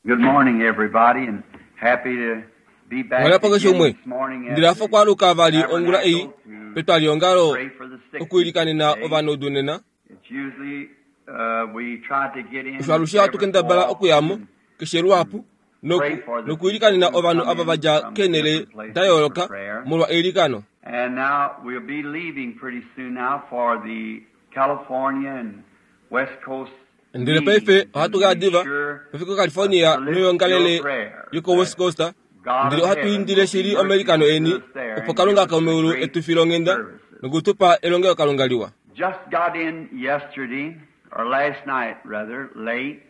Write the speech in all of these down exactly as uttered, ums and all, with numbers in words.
Good morning, everybody, and happy to be back Onghala po keshe again umwe this morning at ndili afa the okwaluka vali ongula ei tabernacle to petwalihongalo pray for the sick okuilikanena today. ovanaudu nena It's usually uh, we try to get in osho alushe ohatu every so kendabala okuyamo often keshe luhapu noku- nokuilikanena ovanhu ava vadja from keenhele different places da yooloka for prayer. molwa eilikano And now we'll be leaving pretty soon now for the California and West Coast ndele paife meetings. ohatu And kaya be diva sure pefiko California to lift noyongalele your prayer yoko West that Coast God ndele of ohatu heaven indile will shili be omailikano merciful eni to us there opo and Kalunga give us the komeulu great etu file onghenda services. nokutupa elongelokalunga liwa Just got in yesterday, or last night rather, late,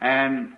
and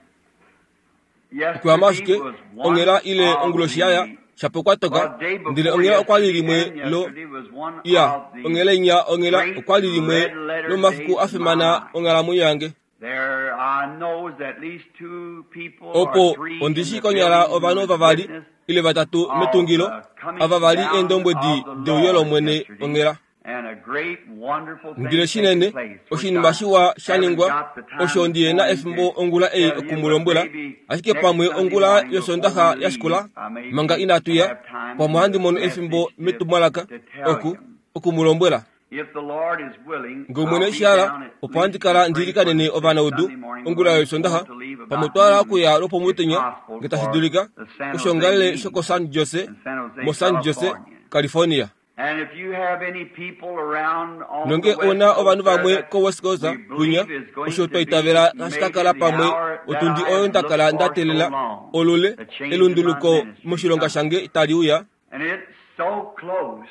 okuyama yesterday ashike was one onghela ile of onguloshi yaya the, shapo kwatoka well, day ndele before onghela okwali yesterday limwe and lo yesterday was one iya of the onghela inya onghela great okwali limwe red letter lomafiku days a of my fimana life. onghalamwenyo yange There I knows at least two people or opo three in ondishi the konyala building who ovanhu was vavali witness ile vatatu of metungilo the coming ava vali down eendombwedi of the deuyo Lord lomwene yesterday onghela and a great wonderful thing ndele taking shinene place, which oshinima I shiwa sha haven't ningwa got the time osho this ndiyena morning efimbo to ongula ei tell you, but okumulombwela maybe ashike next pamwe Sunday ongula morning before yosondaxa we ya shikula leave, I may manga be inatu ya have time pamwe in ohandi the mono efimbo message to, metumwalaka to tell oku you. okumulombwela If the Lord is willing, nge omwene I'll be eshihala down at opo handi least to kala pray for ndiilikanene the sick ovanaudu Sunday morning. ongula We're yosondaxa going to leave pamwe about twala noon, okuya if lwopomutenya possible, nge tashi for dulika the San Jose koshiongalele meeting shoko San Jose in San Jose, mo San Jose California. California And if you have any people around on nonge the West una Coast ovanhu there vamwe that ko West Coast we kunya believe is going osho to twa be itavela tashi ka maybe kala the pamwe hour that otundi I oyo have nda looked kala nda for so teelela long, olule the change in my elunduluko ministry moshilonga come. shange tali uya And it's so close.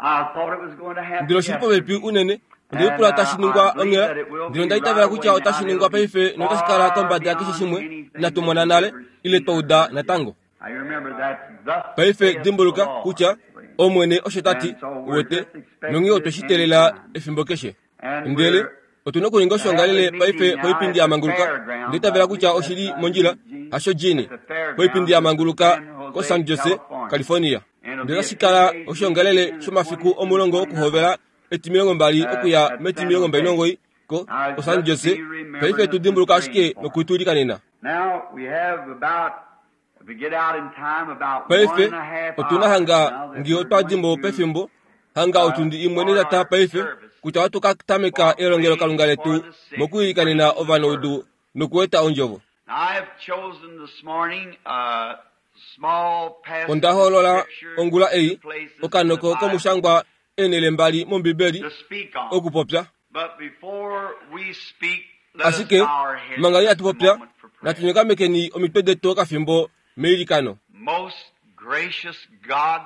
I thought it was going to happen ndele oshili popepi yesterday. unene And ondelipula uh, tashi I ningwa believe onghela that it will ndele onda be itavela right kutya away now. otashi and ningwa It'll be paife notashi kala far kombada yakeshe beyond shimwe anything inatu that mona we've nale ever ile seen twa or uda heard yet. natango I remember that thus paife saith the dimbuluka Lord. kutya omwene osho tati And so we're uwete just expecting nonghee otwe it shi any teelela time. efimbo keshe And ndele we're otuna okuninga to have a oshiongalele paife meeting now poipindi at the ya manguluka fairgrounds. ndele I itavela kutya believe oshili that's uh, mondjila Eugene. hasho jini At the poipindi fairgrounds ya in manguluka San ko Jose, San Jose California. California And it'll ndele be a otashi kala two-day meeting oshiongalele beginning the shomafiku twentieth and omulongo twenty-ninth okuhovela etimilongo mbali uh, okuya at San metimilongo mbali Jose. nomugoyi ko Now, ko San just Jose be paife remembering tu us and dimbuluka praying ashike for us. nokutuilikanena Now, we have about, if we get out in time, about one paife and a half otuna hours hanga now that nge we're otwa going dimbo to pefimbo hanga uh, otundi imwe start netata our paife service kutya ohatu ka tameka for elongelokalunga praying for letu the sick and mokuilikanena bringing the ovanaudu word. nokueta ondjovo Now, I have chosen this morning a small passage onda of hoolola scripture, ongula two ei places in the okanoko Bible komushangwa eenhele mbali mombibeli to speak on. okupopya But before we speak, let us ashike bow our heads manga just inatu a popya moment for prayer. natu nyokamekeni omitwe detu okafimbo meilikano Most gracious God,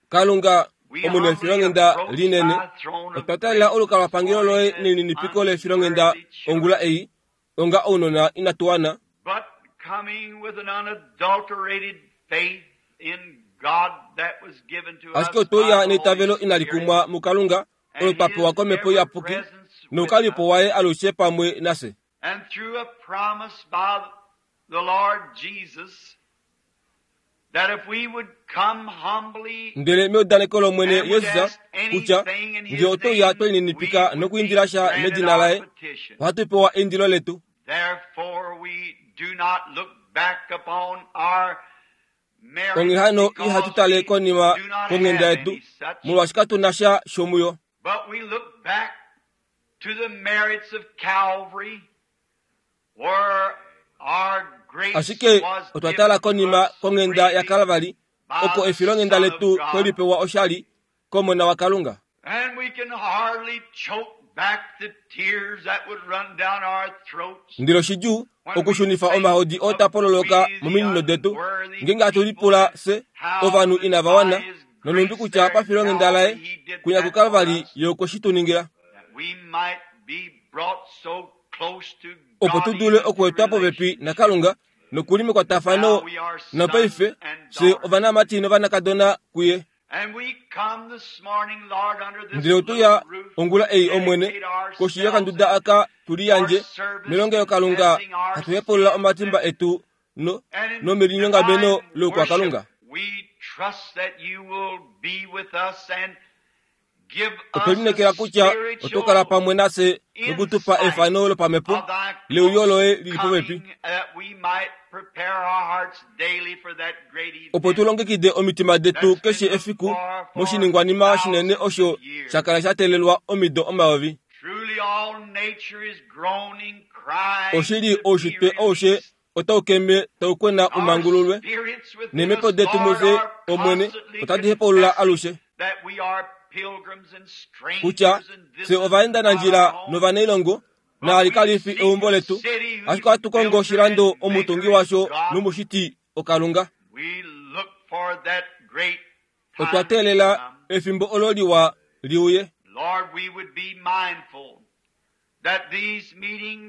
kalunga we omwene humbly efilonghenda approach linene thy throne of otwa taalela grace this olukalwapangelo loye morning as nelininipiko lefilonghenda unworthy ongula children, ei onga ounona inatu wana but coming with an unadulterated faith in God that was given to us ashike by otweuya the Holy neitavelo inali Spirit kumwa mukalunga olo and twa His pewa komhepo ever iyapuki presence with noukalipo us, waye alushe pamwe nafye and through a promise by the Lord Jesus that if we would come humbly ndele meudaneko lomwene and would yesus ask kutya anything in nge His otouya name, twe we lininipika would be nokuindila sha granted medina our laye petition. ohatu pewa eindilo letu Therefore, we do not look back upon our onghee merits hano because ihatu tale we konima do not konghenda have yetu any such, molwaashi katu na sha shomuyo but we look back to the merits of Calvary, where our grace ashike was otwa given tala to konima us konghenda freely yaKalvari by oko the efilonghenda Son of letu God. twelipewa oshali komona wakalunga And we can hardly choke back the tears that would run down our throats ndilo shidjuu when we okushunifa think omahodi oo of tapololoka we the mominino detu unworthy ngeenge hatu people lipula and se how ovanhu that inava by wana His nonhumbi grace kutya there at pafilonghenda Calvary laye He did kunya that for kuKalvari us, ye okwe shi tu ningila that we might be brought so close to opo God tu dule even through okuetwa popepi relationship. nakalunga nokuli Now mekwatafano we are sons nopaife and fye daughters. ovanamati novanakadona kuye And we come this morning, Lord, under this ndele little otuya roof ongula to ei omwene dedicate koshi ourselves yokanduda and aka for tuliyandje service, melongelokalunga confessing our hatu hepulula sins omatimba and, etu no and in nomelinyongameno divine loukwakalunga worship. We trust that you will be with us and Otwe lineekela kutya oto kala pamwe nafye nokutupa efano lopamhepo leuyo loye lili popepi, opo tu longekide omitima detu keshe efiku moshiningwanima shinene osho sha kala sha teelelwa omido omayovi. Oshili oushitwe aushe otau keme tau kwena umangululwe, neemhepo detu mufye Omwene otadi hepaulula alushe kutya fye ovaendanandjila novanailongo, naali kali fi eumbo letu, ashike ohatu kongo oshilando omutungi washo nomushiti oKalunga. Otwa teelela efimbo olo liwa liuye.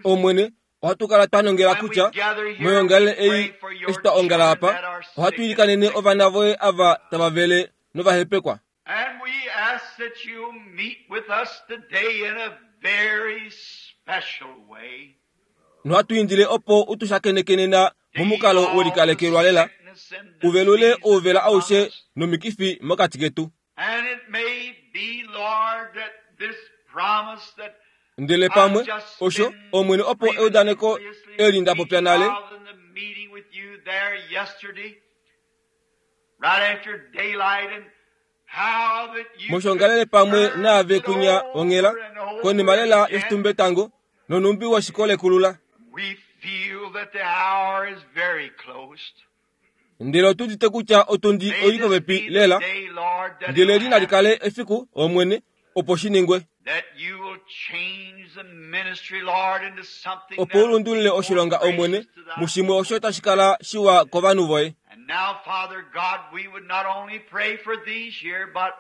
Omwene, ohatu kala twa nongela kutya moyoongalele ei eshi twa ongala apa, ohatu ilikanene ovana voye ava tava vele novahepekwa. And we ask that you meet with us today in a very special way. Nohatu indile opo utushakenekenena momukalo welikalekelwa lela, uvelule ouvela aushe nomikifi mokati ketu. And it may be, Lord, that this promise that Ndele pamwe osho Omwene opo eudaneko eli nda popya nale in the meeting with you there yesterday, right after daylight, and how that you moshongalele pamwe naave kunya onghela konima lela yoshitumbetango nonumbi woshikolekula. We feel that the hour is very close. Ndele otu udite kutya otundi May oi this popepi be the lela, day, Lord, that ndele it'll li nali happen, kale efiku Omwene opo shi ningwe, that you will change the ministry, Lord, into something opo that will ulundulule be more oshilonga Omwene gracious to thy mushimwe osho tashi kala shiwa kovanhu voye. And now, Father God, we would not only pray for these here, but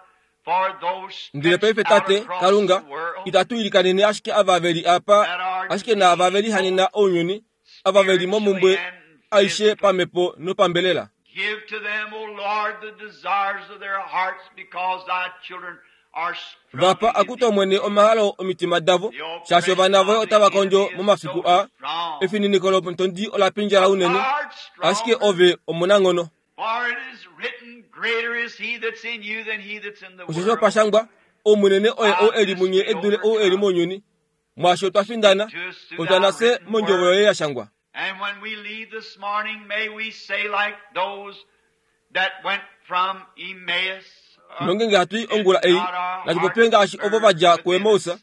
for those Ndele stretched paife out Tate across Kalunga, the world itatu ilikanene ashike ava veli apa, that are ashike naava veli hanena ounyuni, ava veli momumbwe spiritually and aishe physically. pamhepo nopambelela. Give to them, O Lord, the desires of their hearts, because thy children are Vapa struggling in akuta Omwene omahalo omitima davo, the shaashi oppression ovana voye of the otava kondjo enemy is momafiku so aa. strong. Efininiko lomutondi ola pindjala unene, Art ashike stronger, ove omunanghono. for it is written, greater is he that's in you than he that's in the Osho world. opa shangwa, omunene oye ou eli munye e dule ou eli mounyuni. Mwaasho twa findana, To us through otwa thy nafye written mondjovo word. yoye ya shangwa. And when we leave this morning, may we say like those that went from Emmaus, uh, Nongenge hatu i did ongula ei, not our natu hearts popye ngaashi ovo burn va dja within kuEmaus, us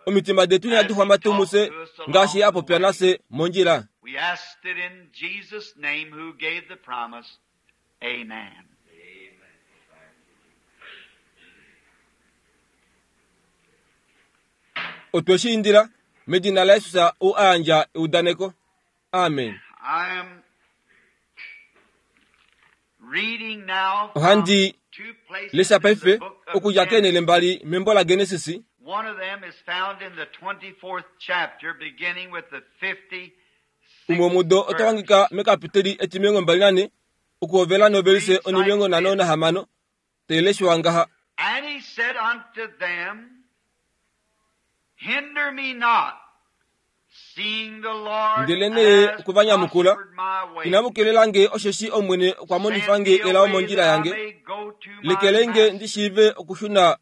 omitima detu as inadi he xwama tuu talked mufye to us ngaashi along a the popya way? nafye mondjila. We asked it in Jesus' name who gave the promise. Amen. Otwe shi indila medina laJesus ou a yandja eudaneko. Amen. I am reading now from Ohandi two places lesha in the paife book of okudja keenhele Genesis. mbali membo laGenesis. One of them is found in the twenty-fourth chapter, beginning with the fifty-sixth Umwe mudo verse. otawangika mekapiteli etimilongo mbali nane okuhovela novelise Reads like onimilongo nhano this. nahamano taileshwa ngaha. And he said unto them, Hinder me not, seeing the Lord Ndele nee has okuvanyamukula, prospered my way. Inamu kelelange osheshi Omwene okwa Send monifa me nge elao away mondjila that I yange, may go to my lekelenge master. ndi shiive okushuna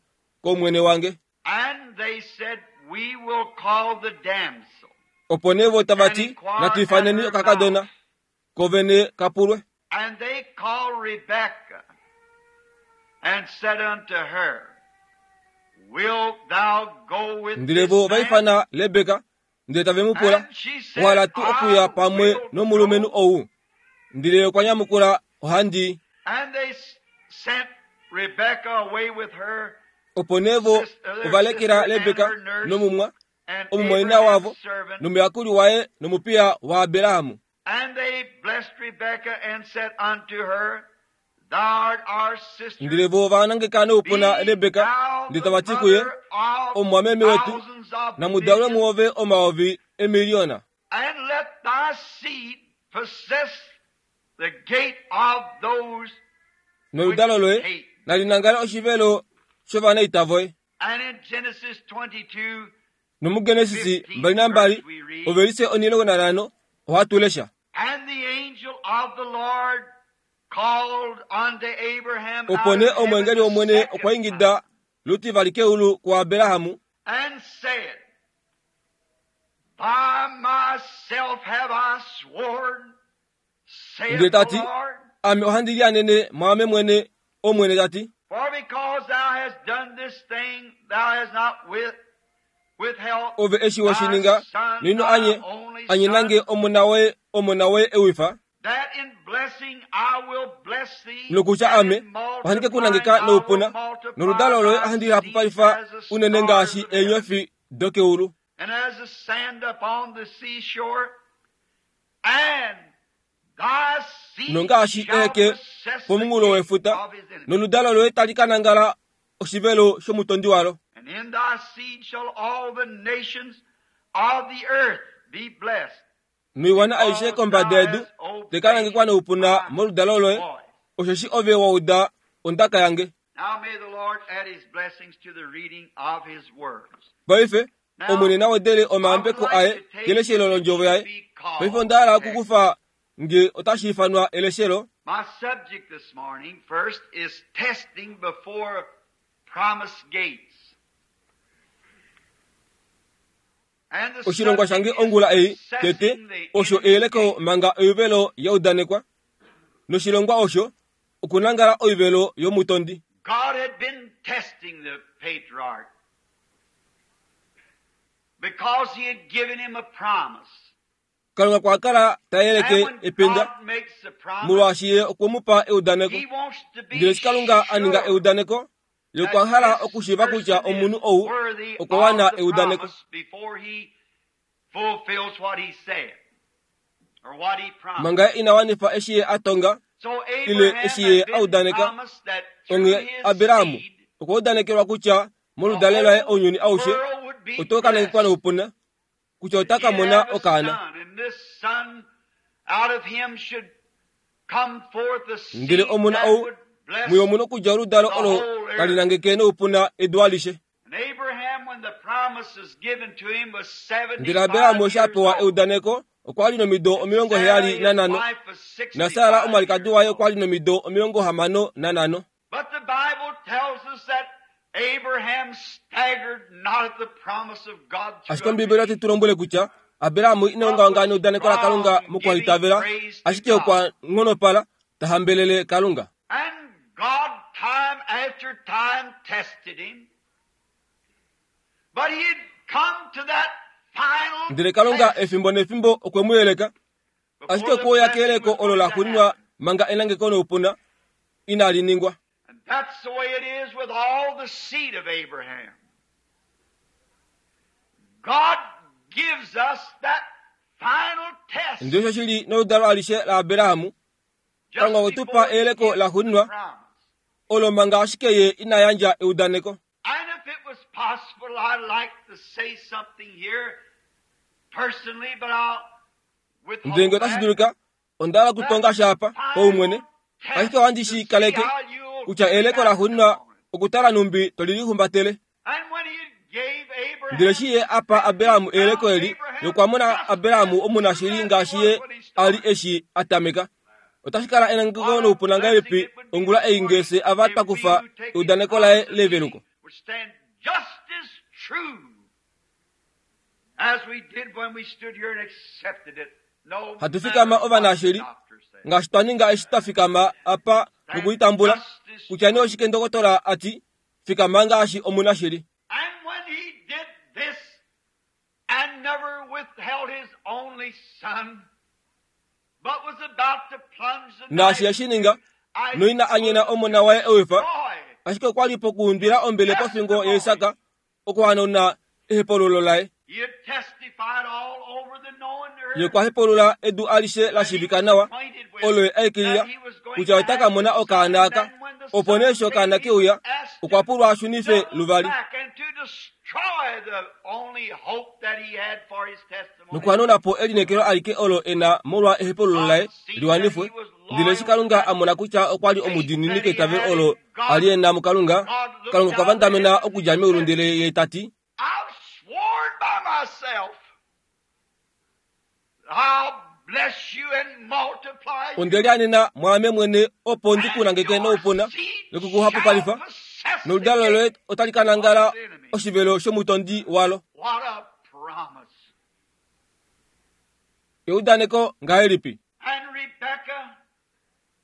komwene wange. And they said, We will call the damsel Opo nee vo tava and ti, inquire natu at ifaneni her okakadona, mouth. kovene kapulwe. And they called Rebekah and said unto her, Wilt thou go with Ndele this vo ova man? ifana Lebeka, ndele tave mu pula, And she said, Owa hala tuu okuya I pamwe will nomulumenhu go. ou? Ndele okwa nyamukula, Ohandi. And they s- sent Rebekah away with her Opo nee vo sister, their ova lekela sister and Lebeka her nurse nomumwa, and omumwaina Abraham's wavo, servant. nomuyakuli waye nomupiya waAberahamu. And they blessed Rebekah and said unto her, Thou art our sister. Ndele vo ova nangeka noupuna Be Lebeka, thou ndele the tava ti kuye, mother of Omumwameme wetu, thousands of namudalwe millions, muove omayovi emiliyona. and let thy seed possess the gate of those which Noludalo loye hate. nali nangale oshivelo shovanaita voye. And in Genesis twenty-two, NomuGenesis fifteenth mbali nambali verse we read, ovelise onilongo nanhano ohatu lesha. And the angel of the Lord called unto Abraham Opo out nee of heaven omweengeli the wOmwene second okwa time ingida Lutivali keulu kuAbrahamu and said, By myself have I sworn, saith Ndele ta the ti, Lord, ame ohandi lianene mwaame mwene Omwene ta ti, for because thou hast done this thing, thou hast not with, withheld ove eshi we shi thy ninga son, nino thy anye only anyenange son, omona woye omona woye ewifa that in blessing I will bless thee, nokutya and ame in ohandi ke ku multiplying nangeka I will noupuna multiply noludalo loye thy ohandi seed lihapupalifa as the unene stars ngaashi of heaven, eenyofi dokeulu and as the sand upon the seashore, and thy seed nongaashi shall eheke possess the pomunghulo gate wefuta of his enemies. noludalo loye tali ka nangala oshivelo shomutondi walo And in thy seed shall all the nations of the earth be blessed. noiwana aishe Because kombada thou yedu hast tekanangekwa obeyed noupuna my moludalo loye voice. osheshi ove wa uda ondaka yange. Now may the Lord add his blessings to the reading of his words. Paife Now, Omwene na wedele I would omayambeko like aye to take keleshelo if it londjovo should yaye. be Paife called onda hala text. okukufa nge otashi ifanwa eleshelo. My subject this morning first is testing before promised gates. And the Oshilongwa subject shange is ongula ei tete possessing the osho enemy's eyeleko gate. manga oivelo ya udanekwa. Noshilongwa osho okunangala oivelo yomutondi. God had been testing the patriarch because he had given him a promise. Kalunga kwa kala ta And yeleke when ependa God makes a promise, molwaashi ye okwe mu pa eudaneko. he wants to be Ndele eshi Kalunga a ninga sure eudaneko, ye okwa that hala this okushiiva kutya person omunhu is ou worthy okwa wana of the eudaneko. promise before he fulfills what he said or what he promised. Manga ye ina wanifa eshi ye a tonga So ile Abraham eshi ye had a been udaneka, promised that through onghee his Abrahamu seed okwa udanekelwa kutya the moludalo laye whole ounyuni aushe world would be oto ka nangekwa blessed. noupuna, kutya ota ka He'd mona have a okaana. son, and this son out of him should come forth a Ndele seed omona that ou would bless muye omuna okudja oludalo the olo whole tali earth. nangeke noupuna edu alishe. And Abraham, when the promise was given to him, was Ndele Abrahamu seventy-five eshi a years pewa old. eudaneko okwa li nomido omilongo Sarah, heyali his nanhano, wife, was na Sara sixty-five omwalikadi years waye old. okwa li nomido omilongo hamano nanhano. But the Bible tells us that Abraham staggered not at the promise of God through Ashike Ombiibeli otai unbelief, tu lombwele kutya Abrahamu ina but ongaonga was neudaneko laKalunga strong, giving mokuhalitavela, praise to ashike God. okwa nghonopala ta hambelele Kalunga. And God, time after time, tested him. But he had come to that final Ndele Kalunga test efimbo nefimbo okwe mu yeleka, ashike before the okwe uya blessing keyeleko was olo going la to xuuninwa happen. manga enangeko noupuna inali ningwa. And that's the way it is with all the seed of Abraham. God gives us that final test Ndele osho shili noludalo alishe laAbrahamu, Kalunga just okwe tu pa before he eyeleko gives la the xuuninwa promise. olo manga ashike ye ina yandja eudaneko. And if it was possible, I'd like to say something here personally, but I'll Ndele ngee withhold otashi that. dulika, onda hala That okutonga sha apa paumwene, final ashike test ohandi to shi see kaleke how you'll kutya eyeleko la react xuuninwa upon it. okutala numbi toli lihumbatele. And when he gave Ndele Abraham eshi ye a pa this, he Abrahamu eyeleko found eli, Abraham ye okwa mona just Abrahamu as omunashili true as he ngaashi was ye when he a li started. eshi a tameka. Otashi kala enangeko What a noupuna blessing ngahelipi it would be ongula this ei morning ngee fye ava twa if we kufa who take his eudaneko laye promise to leveluko. be would stand just as true as we did when we stood here and accepted it, no Hatu matter fikama what the ovanashili doctor said. ngaashi twa ninga eshi twa fikama apa Stand nokulitambula just as kutya nee true. oshike ndokotola ati fikama ngaashi omunashili. And when he did this and never withheld his only son, but was about to plunge the Naashi knife eshi ninga into Isaac's noina anyena bosom omona to waye ewifa, destroy ashike okwa li pokuundwila his ombele pofingo yaIsak testimony. okuhanauna ehepululo laye. He had testified all over the known Ye earth okwa hepulula edu alishe la that he shiivika was nawa acquainted with, olo ye aikilila that he was going kutya to ota ka have mona this son. okaana And aka. then when the Opo nee son eshi came, okaana he ke uya, was asked okwa to pulwa a shunife double luvali back and to destroy the only hope that he had for his testimony. nokuhanauna po elineekelo alike olo e na molwa ehepululo God laye seen that liwanifwe. he was Ndele eshi loyal to Kalunga that a mona kutya okwa li faith omudiinini that he keitavelo had olo in a li God, e na muKalunga, God looked Kalunga okwa down the vandamena heavens and okudja meulu said, ndele ye ta ti, I've sworn by myself, I'll bless you and multiply onde you, lianena mwaame mwene opo ndi ku and nangeke your noupuna seed noku ku shall hapupalifa possess Noludalo loye otali ka nangala oshivelo shomutondi walo. What a promise. Eudaneko ngahelipi? And Rebekah,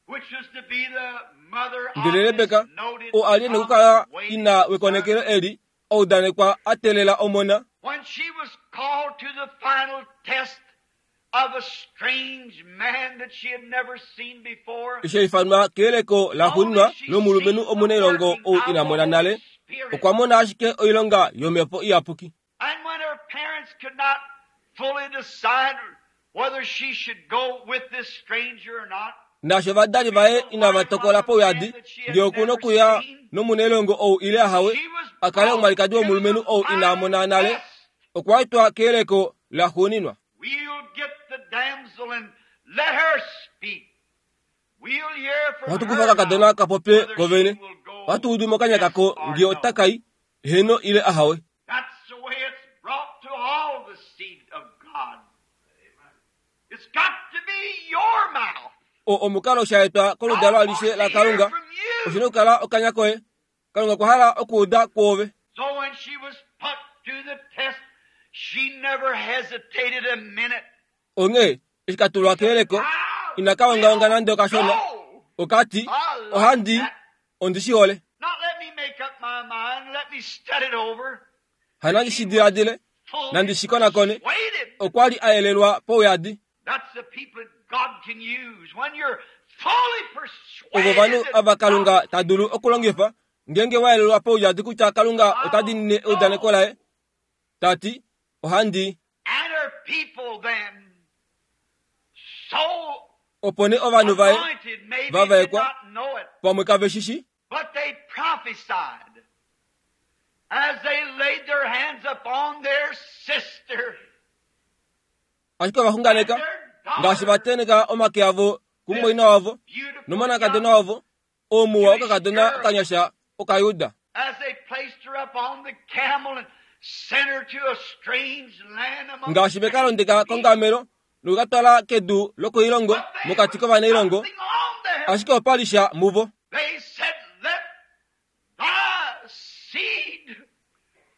which is to be the mother of Ndele Rebeka this noted oo a li nokukala promise ina wekonekelo eli oudanekwa a teelela omona, when she was called to the final test of a strange man that she had never seen before, eshi ifanwa keyeleko laxuuninwa lomulumenhu omunailongo ou ina mona nale, okwa mona ashike oilonga yomhepo iyapuki. And when her parents could not fully decide whether she should go with this stranger or not, Naasho ovadali vaye inava tokola pauyadi ngee okuna okuya nomunailongo ou ile ahawe, she was a kale omwalikadi womulumenhu ou ina mona nale, okwa etwa keyeleko laxuuninwa. We'll get the damsel and let her speak. We'll hear from Ohatu her kufa kakadona mouth ka popye whether ko vene. she will go Ohatu udu mokanya kako yes or ngee no. ota kai, heno ile ahawe. That's the way it's brought to all the seed of God. It's got to be your mouth. O omukalo sha etwa koludalo God alishe wants la to hear Kalunga, from you. oshina okukala okanya koye. Kalunga okwa hala okuuda kwoove. So when she was put to the test, she never hesitated a minute. Onghee eshi ka tulwa keyeleko, I ina ka ongaonga will nande okashona. go. Okati, I like ohandi, that. ondi shi hole. Not let me make up my mind, let me study it over. Hanandi shi diladile, Fully nandi shi konakone. persuaded. Okwa li a yelelwa pauyadi. That's the people that God can use. When you're fully Ovo persuaded ovanhu that ava Kalunga God ta dulu okulongifa, ngeenge wa yelelwa pauyadi kutya Kalunga ota diinine eudaneko laye, ta ti, ohandi. and her people then so Opo nee ovanhu vaye anointed maybe did vavaekwa, not know it, pamwe kave shi shi, but they prophesied as they laid their hands upon their sister ashike ova and xunganeka their ngaashi va daughter, teneka omake avo kumumwaina wavo beautiful nomonakadona young wavo, omuwa Jewish okakadona girl, okanyasha Okayuda. as they placed her up on the camel and sent her to a strange land among Ngaashi veka strange londeka people. kongamelo nokukatwala kedu lokoilongo But there mokati was kovanailongo, something on there. ashike opa li sha muvo. They said, let thy seed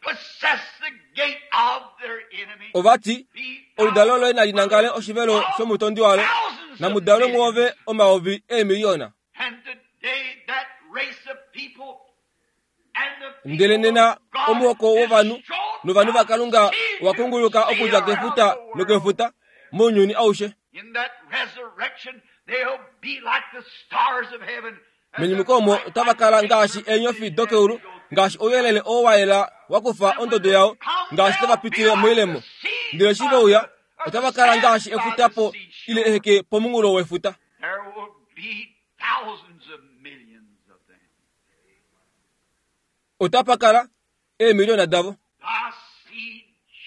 possess the gate of their enemy. Ovati, Be oludalo thou loye nali nangale mother oshivelo of shomutondi walo, thousands of namudalwe mwoove millions. omayovi eemiliyona. And today that race of people and the Ndele people nena of God omuhoko is wovanhu strong novanhu by vaKalunga sea owa to kunguluka sea okudja around kefuta the world. nokefuta mounyuni aushe. In that resurrection, they'll be like the stars of heaven as the Menyumuko omo bright otava light kala takes ngaashi their eenyofi position as dokeulu, they go through. ngaashi ouyelele oo wa yela wa kufa And when ondodo they yao, come, ngaashi tava they'll be pitile like the moilemo. seas Ndele eshi by ve uya, the, or the otava kala sands ngaashi by efuta the po ile seashore. eheke pomunghulo wefuta. There will be thousands of millions of them. Otapa kala eemiliyona davo. Thy seed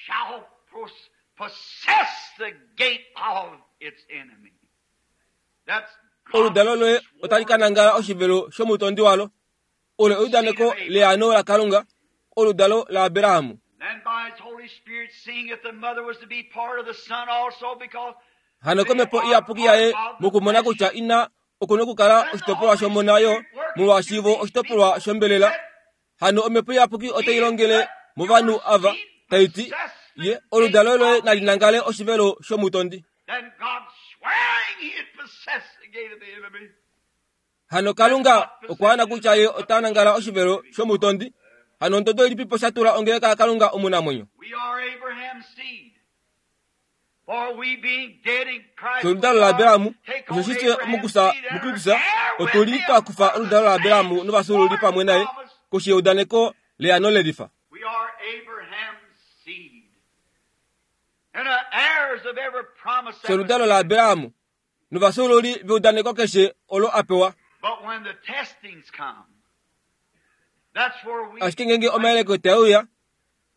shall pos- possess the gate of its enemy. That's Oludalo God's loye otali ka sworn nangala oshivelo shomutondi walo. Olo seed of eudaneko Abraham. leano laKalunga, oludalo laAbrahamu. Then by his Holy Spirit, seeing that the mother was to be part of the son also, because Hano they komhepo are iyapuki part yaye of the mokumona flesh. kutya ina okuna okukala Then the oshitopolwa Holy shomona yo Spirit working molwaashi through vo these oshitopolwa people shombelela. said, Hano omhepo iyapuki otai He longele let movanhu your ava seed tai ti, possess the ye gate oludalo loye of nali the nangale enemy. oshivelo shomutondi. Then God swearing he'd possess the gate of the enemy. Hano That's Kalunga what okwa ana position kutya has ye put ota the nangala church of the oshivelo living God. shomutondi. Hano ondodo ilipipo sha tula ongeleka yaKalunga omunamwenyo. We are Abraham's seed. For we being dead in Christ Fye with oludalo God, laAbrahamu, take osho on shi twe Abraham's mukusa seed and are muKristus, heir with otuli him twa kufa of the oludalo same laAbrahamu novafyuululi sworn pamwe naye promise. koshi yeudaneko leano lelifa. We are Abraham's seed. And are heirs of every promise Fye that was oludalo given. laAbrahamu novafyuululi veudaneko keshe olo a pewa. But when the testings come, that's where we Ashike ngeenge fail. omayeleko tae uya,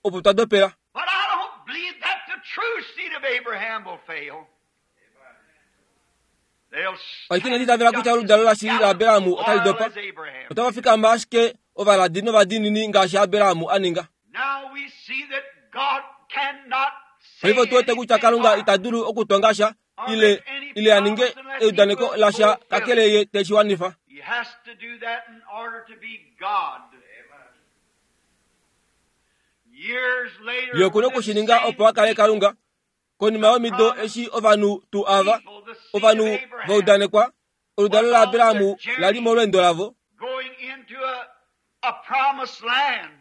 opo twa dopela. But I don't believe that the true seed of Abraham will fail. They'll Ashike inandi stand itavela kutya just as oludalo lashili gallant laAbrahamu and otali loyal dopa. as Abraham Otava did. fikama ashike ovaladi novadiinini ngaashi Abrahamu a ninga. Now we see that God cannot say Paife otu wete kutya anything Kalunga or, ita dulu okutonga sha or ile make any ile a ninge promise unless he eudaneko will lasha fulfill kakele it. ye teshi wanifa. He has to do that in order to be God. Ye oku na okushininga opo a kale Kalunga. Konima yomido eshi ovanhu tuu ava, ovanhu va udanekwa, oludalo laAbraham la li molweendo lavo going into a, a promised land.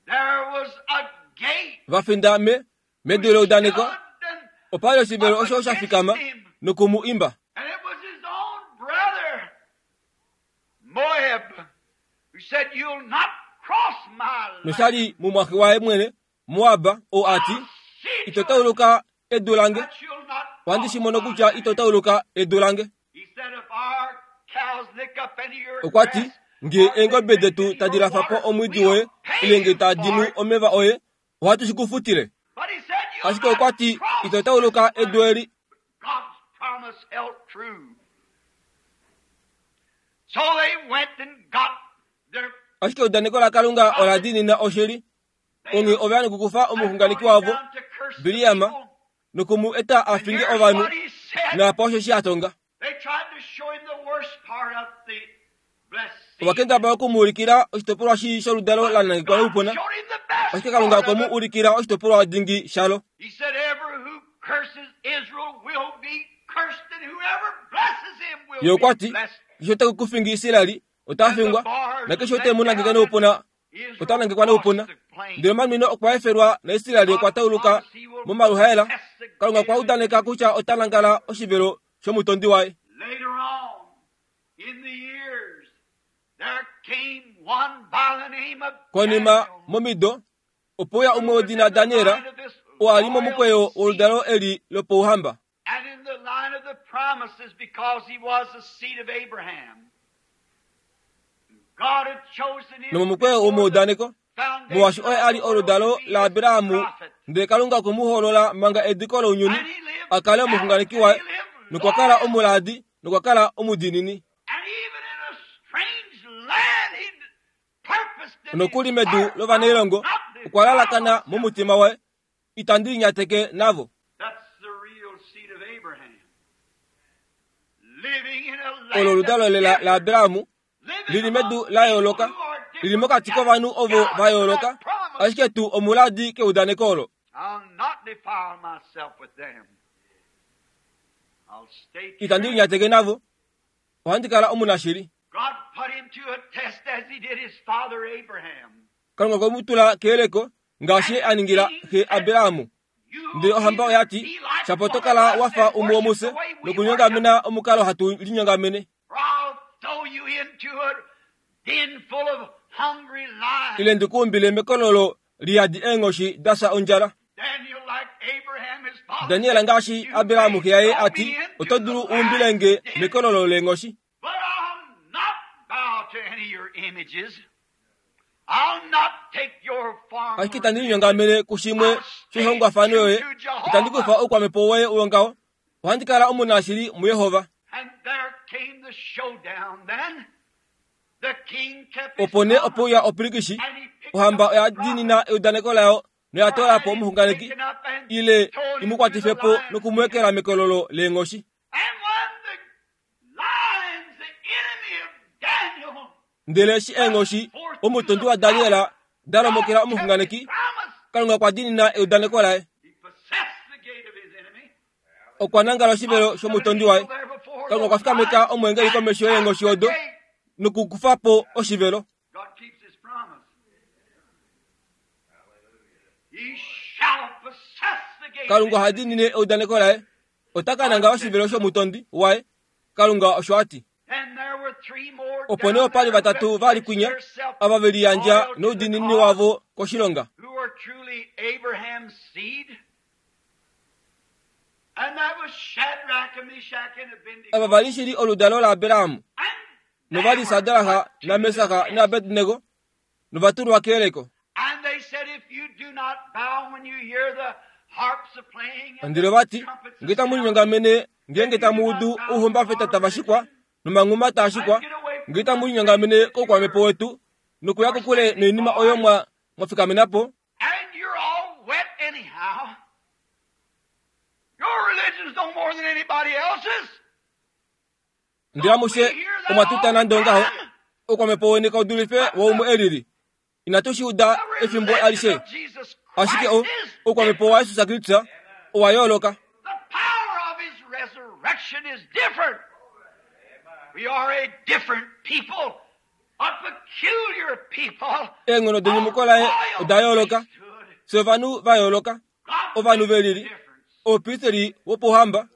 There was a gate va finda me medu leudaneko, stood and, opa li oshivelo osho sha fikama noku mu imba. and it was his own brother, Moab, who said, "You'll not cross my land." Nosha li mumwaxe waye mwene, Moab, ou a ti, I'll see ito to it tauluka edu lange, that you'll not ohandi cross shi mono my kutya land. ito tauluka edu lange. He said, "If our cows lick up any of your Okwa ti, grass, nge or they eengobe drink detu any of tadi your lafa po water, omwiidi we'll woye, pay ile nge you tadi for nu it." omeva oye, ohatu shi ku futile. But he said, "You'll Ashike okwa not ti, cross ito tauluka this edu land." eli. God's promise held true. So they went and got their Ashike eudaneko laKalunga ola diinina oshili. Onghee ova ya nokukufa omuxunganeki wavo, Biliam, noku mu eta a And finge here's ovanhu, what he said. naapa osho shi a tonga. They tried to show him the worst part of the blessed seed. Ova kendabala oku mu ulikila oshitopolwa shii sholudalo la nangekwa God noupuna, showed him the best ashike Kalunga part okwe of mu it. ulikila oshitopolwa dingi shalo. He said, "Ever who curses Israel will be cursed, and whoever blesses him Ye will okwa be ti, blessed." keshe ote ku fingi Israeli, ota fingwa, nakeshe ote mu nangeke noupuna, Israel ota nangekwa noupuna. crossed the plain. Ndele omanwino okwa efelwa naIsraeli okwa tauluka momaluhaela. Kalunga okwa udaneka kutya ota nangala oshivelo shomutondi waye. Later on, in the years, there came one by the name of Konima Daniel, momido, opo uya umwe who was wedina in the Daniel, line of this oo a li royal momukweyo seed woludalo eli lopouhamba, and in the line of the promises because he was the seed of Abraham. God had chosen him nomomukweyo before the womaudaneko, foundation molwaashi of oye the a li world oludalo to be his laAbrahamu, prophet. ndele Kalunga okwe mu hoolola manga ediko lounyuni, And he lived a kale out, omuxunganeki and waye, he lived nokwa kala loyal. omulaadi, nokwa kala omudiinini. And even in a strange land, he purposed in his Nokuli medu heart, I'll lovanailongo, not okwa defile lalakana myself. momutima waye, itandi linyateke navo. That's the real seed of Abraham. Living in a Olo land of oludalo lela difference. laAbrahamu, Living lili medu among la people yooloka, who are lili different. mokati Yet kovanhu ovo God va for that yooloka, promise, ashike tuu omulaadi keudaneko olo. I'll not defile myself with them. I'll stay Itandi true. linyateke navo, ohandi kala omunashili. God put him to a test as he did his father Abraham. Kalunga okwe mu tula keyeleko ngaashi ye a And the ningila king xe said, Abrahamu. You'll Ndele ohamba either oya ti, be like shapo one oto of kala us wa fa and umwe worship womufye the way we worship, nokunyongamena omukalo hatu linyongamene, or I'll throw you into a den full of hungry ile lions. ndikuumbile mekololo liyadi eenghoshi da fya ondjala. Daniel, like Abraham, his father, Daniel said, ngaashi You Abrahamu may xe yaye throw a ti, me into oto the dulu lion's uumbilenge den, mekololo leenghoshi, but I'll not bow to any of your images. I'll not take your form ashike itandi religion. linyongamene kushimwe I'll stay shoihongwafano true yoye, to itandi kufa Jehovah. oukwamhepo woye wongaho, ohandi kala omunashili muYehova. And there came the showdown then. The king kept his Opo nee promise opo uya opilikishi, and he picked ohamba up oya the prophet diinina eudaneko layo noya or toola had po him omuxunganeki, taken up and ile thrown imu into the kwatife po lion's den. nokumuekela mekololo leenghoshi. And when the lions, the enemy of Daniel, Ndele eshi rushed eenghoshi forth to omutondi the wa Daniel prophet, da God lomokela kept his omuxunganeki, promise. Kalunga okwa diinina eudaneko laye. He possessed the gate of his enemy. Okwa nangala oshivelo Up stood an shomutondi angel waye. there before Kalunga okwa those fikameka lions omweengeli and komesho shut yeenghoshi the odo gate. nokukufa po oshivelo. God keeps his promise. He shall possess the gate of Kalunga his oha enemy. diinine eudaneko laye. Ota ka God nangala said oshivelo so. shomutondi waye. Kalunga osho a ti. And there were three more Opo nee down opa li there who vatatu had va li pledged kwinya, theirself ava ve liyandja loyal to the noudiinini cause, wavo koshilonga. who were truly Abraham's seed. And that was Shadrach and Meshach and Ava Abednego. va li shili oludalo laAbraham, And nova they li were Sadraka put to the naMesaka test. naAbednego, nova tulwa keyeleko. And they said, if you do not bow when you hear the harps a playing and Ndele the vati, trumpets a nge tamu sounding, linyongamene ngeenge if you tamu do not udu bow to ouhumbafeta our tava shikwa religion nomanghuma taa and shikwa, get away nge from tamu the things linyongamene that you're, koukwamepo wetu nokuya you're kokule standing noinima oyo for, mwa mwa fikamena po, and you're all wet anyhow. Your religion's no more than anybody else's. ndele Don't we amushe hear that omwa all tuta the nande ongaho, time? oukwamhepo weni kaudulife But the woumwe elili. Inatu shi uda The efimbo religion alishe of Jesus ashike Christ o is oukwamhepo different. wa Jesus Kristus owa yooloka. The power of his resurrection is different. We are a different people, a peculiar people. Eenghono denyumuko laye oda yooloka. Fye ovanhu va yooloka, God ovanhu makes ve a lili. difference. Oupristeri wopohamba,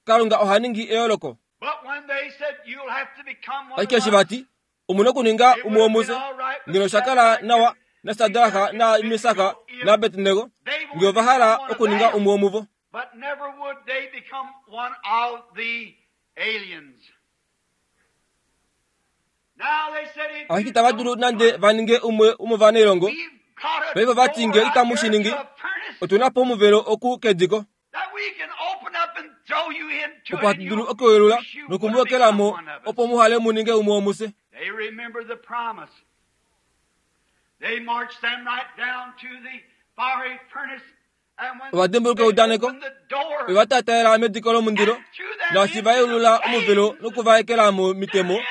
Kalunga oha ningi eyooloko. But when they said you'll have to become one Ashike of eshi us, vati omuna okuninga it umwe would have been womufye all right with ngeno shakala Shadrach nawa and naSadraka Meshach na and Mesaka Abednego na if Abednego they nge wanted ova to become hala one of okuninga them. umwe womuvo. But never would they become one of the aliens. Now they said, if Ashike you itava dulu don't do nande it, va ninge umwe womovaneilongo. we've got a Paife vati door nge out itamu here shi ningi, to a furnace otuna po omuvelo oku kediko that we can open up and throw you into opo it, hatu and dulu you okuyelula wish you would nokumuwekelamo become one of us. opo muhale mu ninge umwe womufye. They remember the promise. They marched them right down to the fiery furnace, and when Ova dimbuluka they eudaneko, opened the door ova tataela mediko lomundilo and threw them naashi into va the yeulula omuvelo flames, nokuvaekela their momitemo enemy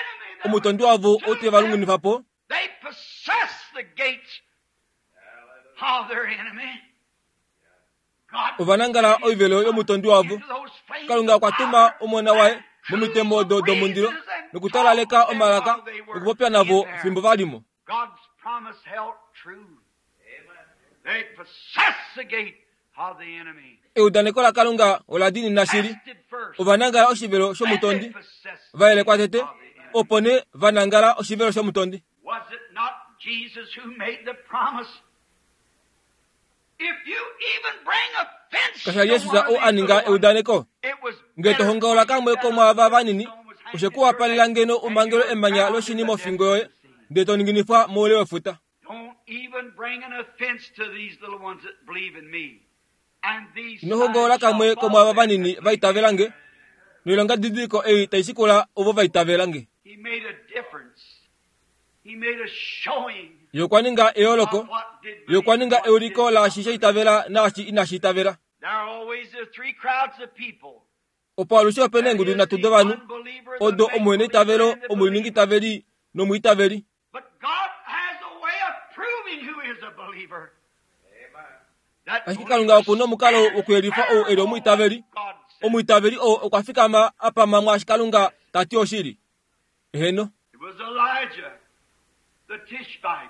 that omutondi would wavo ou te consume va them, lungunifa po. they possessed the gates of their enemy. God Ova nangala sent his oivelo son yomutondi wavo. into those flames Kalunga of okwa tuma fire omona waye and drew momitemo the odo domundilo breezes and talked nokutalaleka to them omalaka while they were nokupopya in navo there. fimbo valimo. God's promise held true. They possessed the gate of the enemy. Eudaneko laKalunga ola diinina shili. Tested first, Ova nangala oshivelo then they shomutondi, possessed the va yelekwa gate tete, of the enemy. opo nee va nangala oshivelo shomutondi. Was it not Jesus who made the promise? If you even bring offense Kasha to Jesus one of ou these a ninga little ones, eudaneko, it was nge to better for hongaula you kamwe that a komwaava vanini, stone was hanged oshe at ku your wapalela neck ngeno and you umangelo were emanya drowned in loshini the depths mofingo of yoye, the sea. ndele to ninginifwa moule wefuta. Don't even bring an offense to these little ones that believe in me. And these Ino hongaula signs shall kamwe follow komwaava them that vanini believe va in itavela me. nge, noilonga didiliko ei tai shikula ovo va itavela nge. He made a difference. He made a showing Ye okwa ninga eyooloko, of what did ye okwa believe and ninga what euliko did not laashi sha believe. itavela naashi inashi itavela. There are always the three crowds of people. Opo alushe opena There eengudu is nhatu the dovanhu, unbeliever, the odo make omuhena believer, itavelo, and the omuliningi believer. itaveli nomwiitaveli. But God has a way of proving who is a believer. That Ashike believer Kalunga okuna omukalo stands wokuyelifa ou firm eli on what omwiitaveli. God says. Omwiitaveli oo okwa fikama a pama mwaashi Kalunga ta ti oshili. Eheno, It was Elijah, the Tishbite.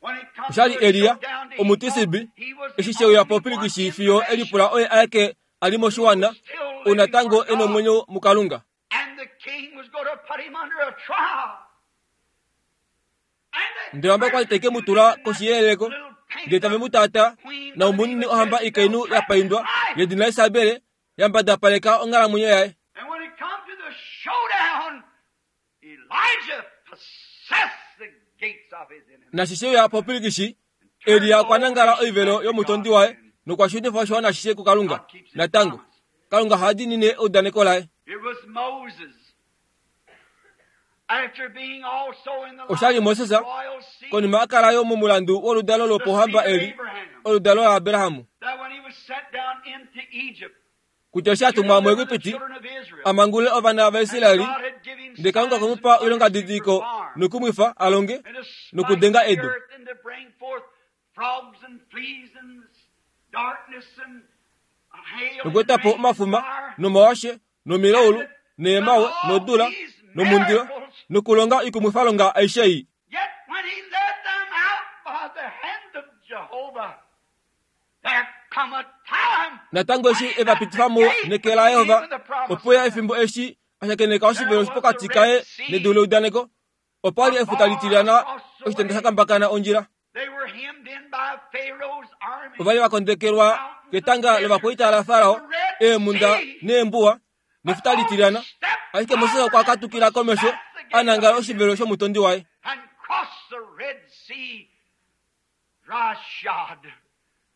When it comes oshali to a Eliya showdown to he thought omutisibi he was eshi the sheuya only po one pilikishi in the fiyo nation elipula oye aeke ali who moshiwana was still ou living natango for e God. nomwenyo muKalunga. And the king was going to put him under a trial. And they Ndele ohamba kwali teke mu tula persecuted him in koshi that yeyeleko, little ndele painted tave up mu tata queen na by the name omunini of ohamba Jezebel ikainhu ya threatened his paindwa life. yedina Isabele yambadapaleka onghalamwenyo yaye. And when it come to the showdown, Elijah possessed the gates of his enemy Nashi sheuya po pilikishi, and turned Eliya the okwa whole nangala nation oivelo back to yomutondi God waye again. nokwa shunifa oshiwana ashishe kuKalunga. God keeps his Natango, promise. Kalunga oha diinine eudaneko laye. It was Moses. After being also in the Oshali line of Moses the royal seed, konima a kala yo momulandu woludalo the seed lopohamba of eli, Abraham, oludalo laAbrahamu, that when he was sent down into Egypt kutya eshi a to tumwa deliver the muEgipiti children of Israel, amangule ovana and vaIsraeli, God had given him ndele Kalunga signs okwe mu and pa wonders to oilongadidiliko perform, nokumwifa a longe and to smite nokudenga the edu, earth and to bring forth frogs and fleas and darkness and hail and nokueta po rain and omafuma fire, nomawashe and nomilaulu to done neemawe all nodula these nomundilo miracles. nokulonga oikumwifalonga aishe ei. Yet when he led them out by the hand of Jehovah, there come a time Natango when eshi he e va met the pitifa mo gate neke la between him Yehova, and the promised opo ya land. efimbo eshi a shakeneka There oshivelo was the pokati Red kaye nedu Sea, leudaneko, opa li a efuta bar litilyana across the oshitenda way. sha kambakana ondjila. They were hemmed in by Pharaoh's army, Ova li va kondekelwa mountains and ketanga deserts, lovakwaita laFarao, the Red eemhunda Sea. neembuwa But nefuta Moses litilyana. stepped Ashike Moses forward okwa and katukila komesho possessed the a gate of nangala his oshivelo enemy shomutondi waye. and crossed the Red Sea dry shod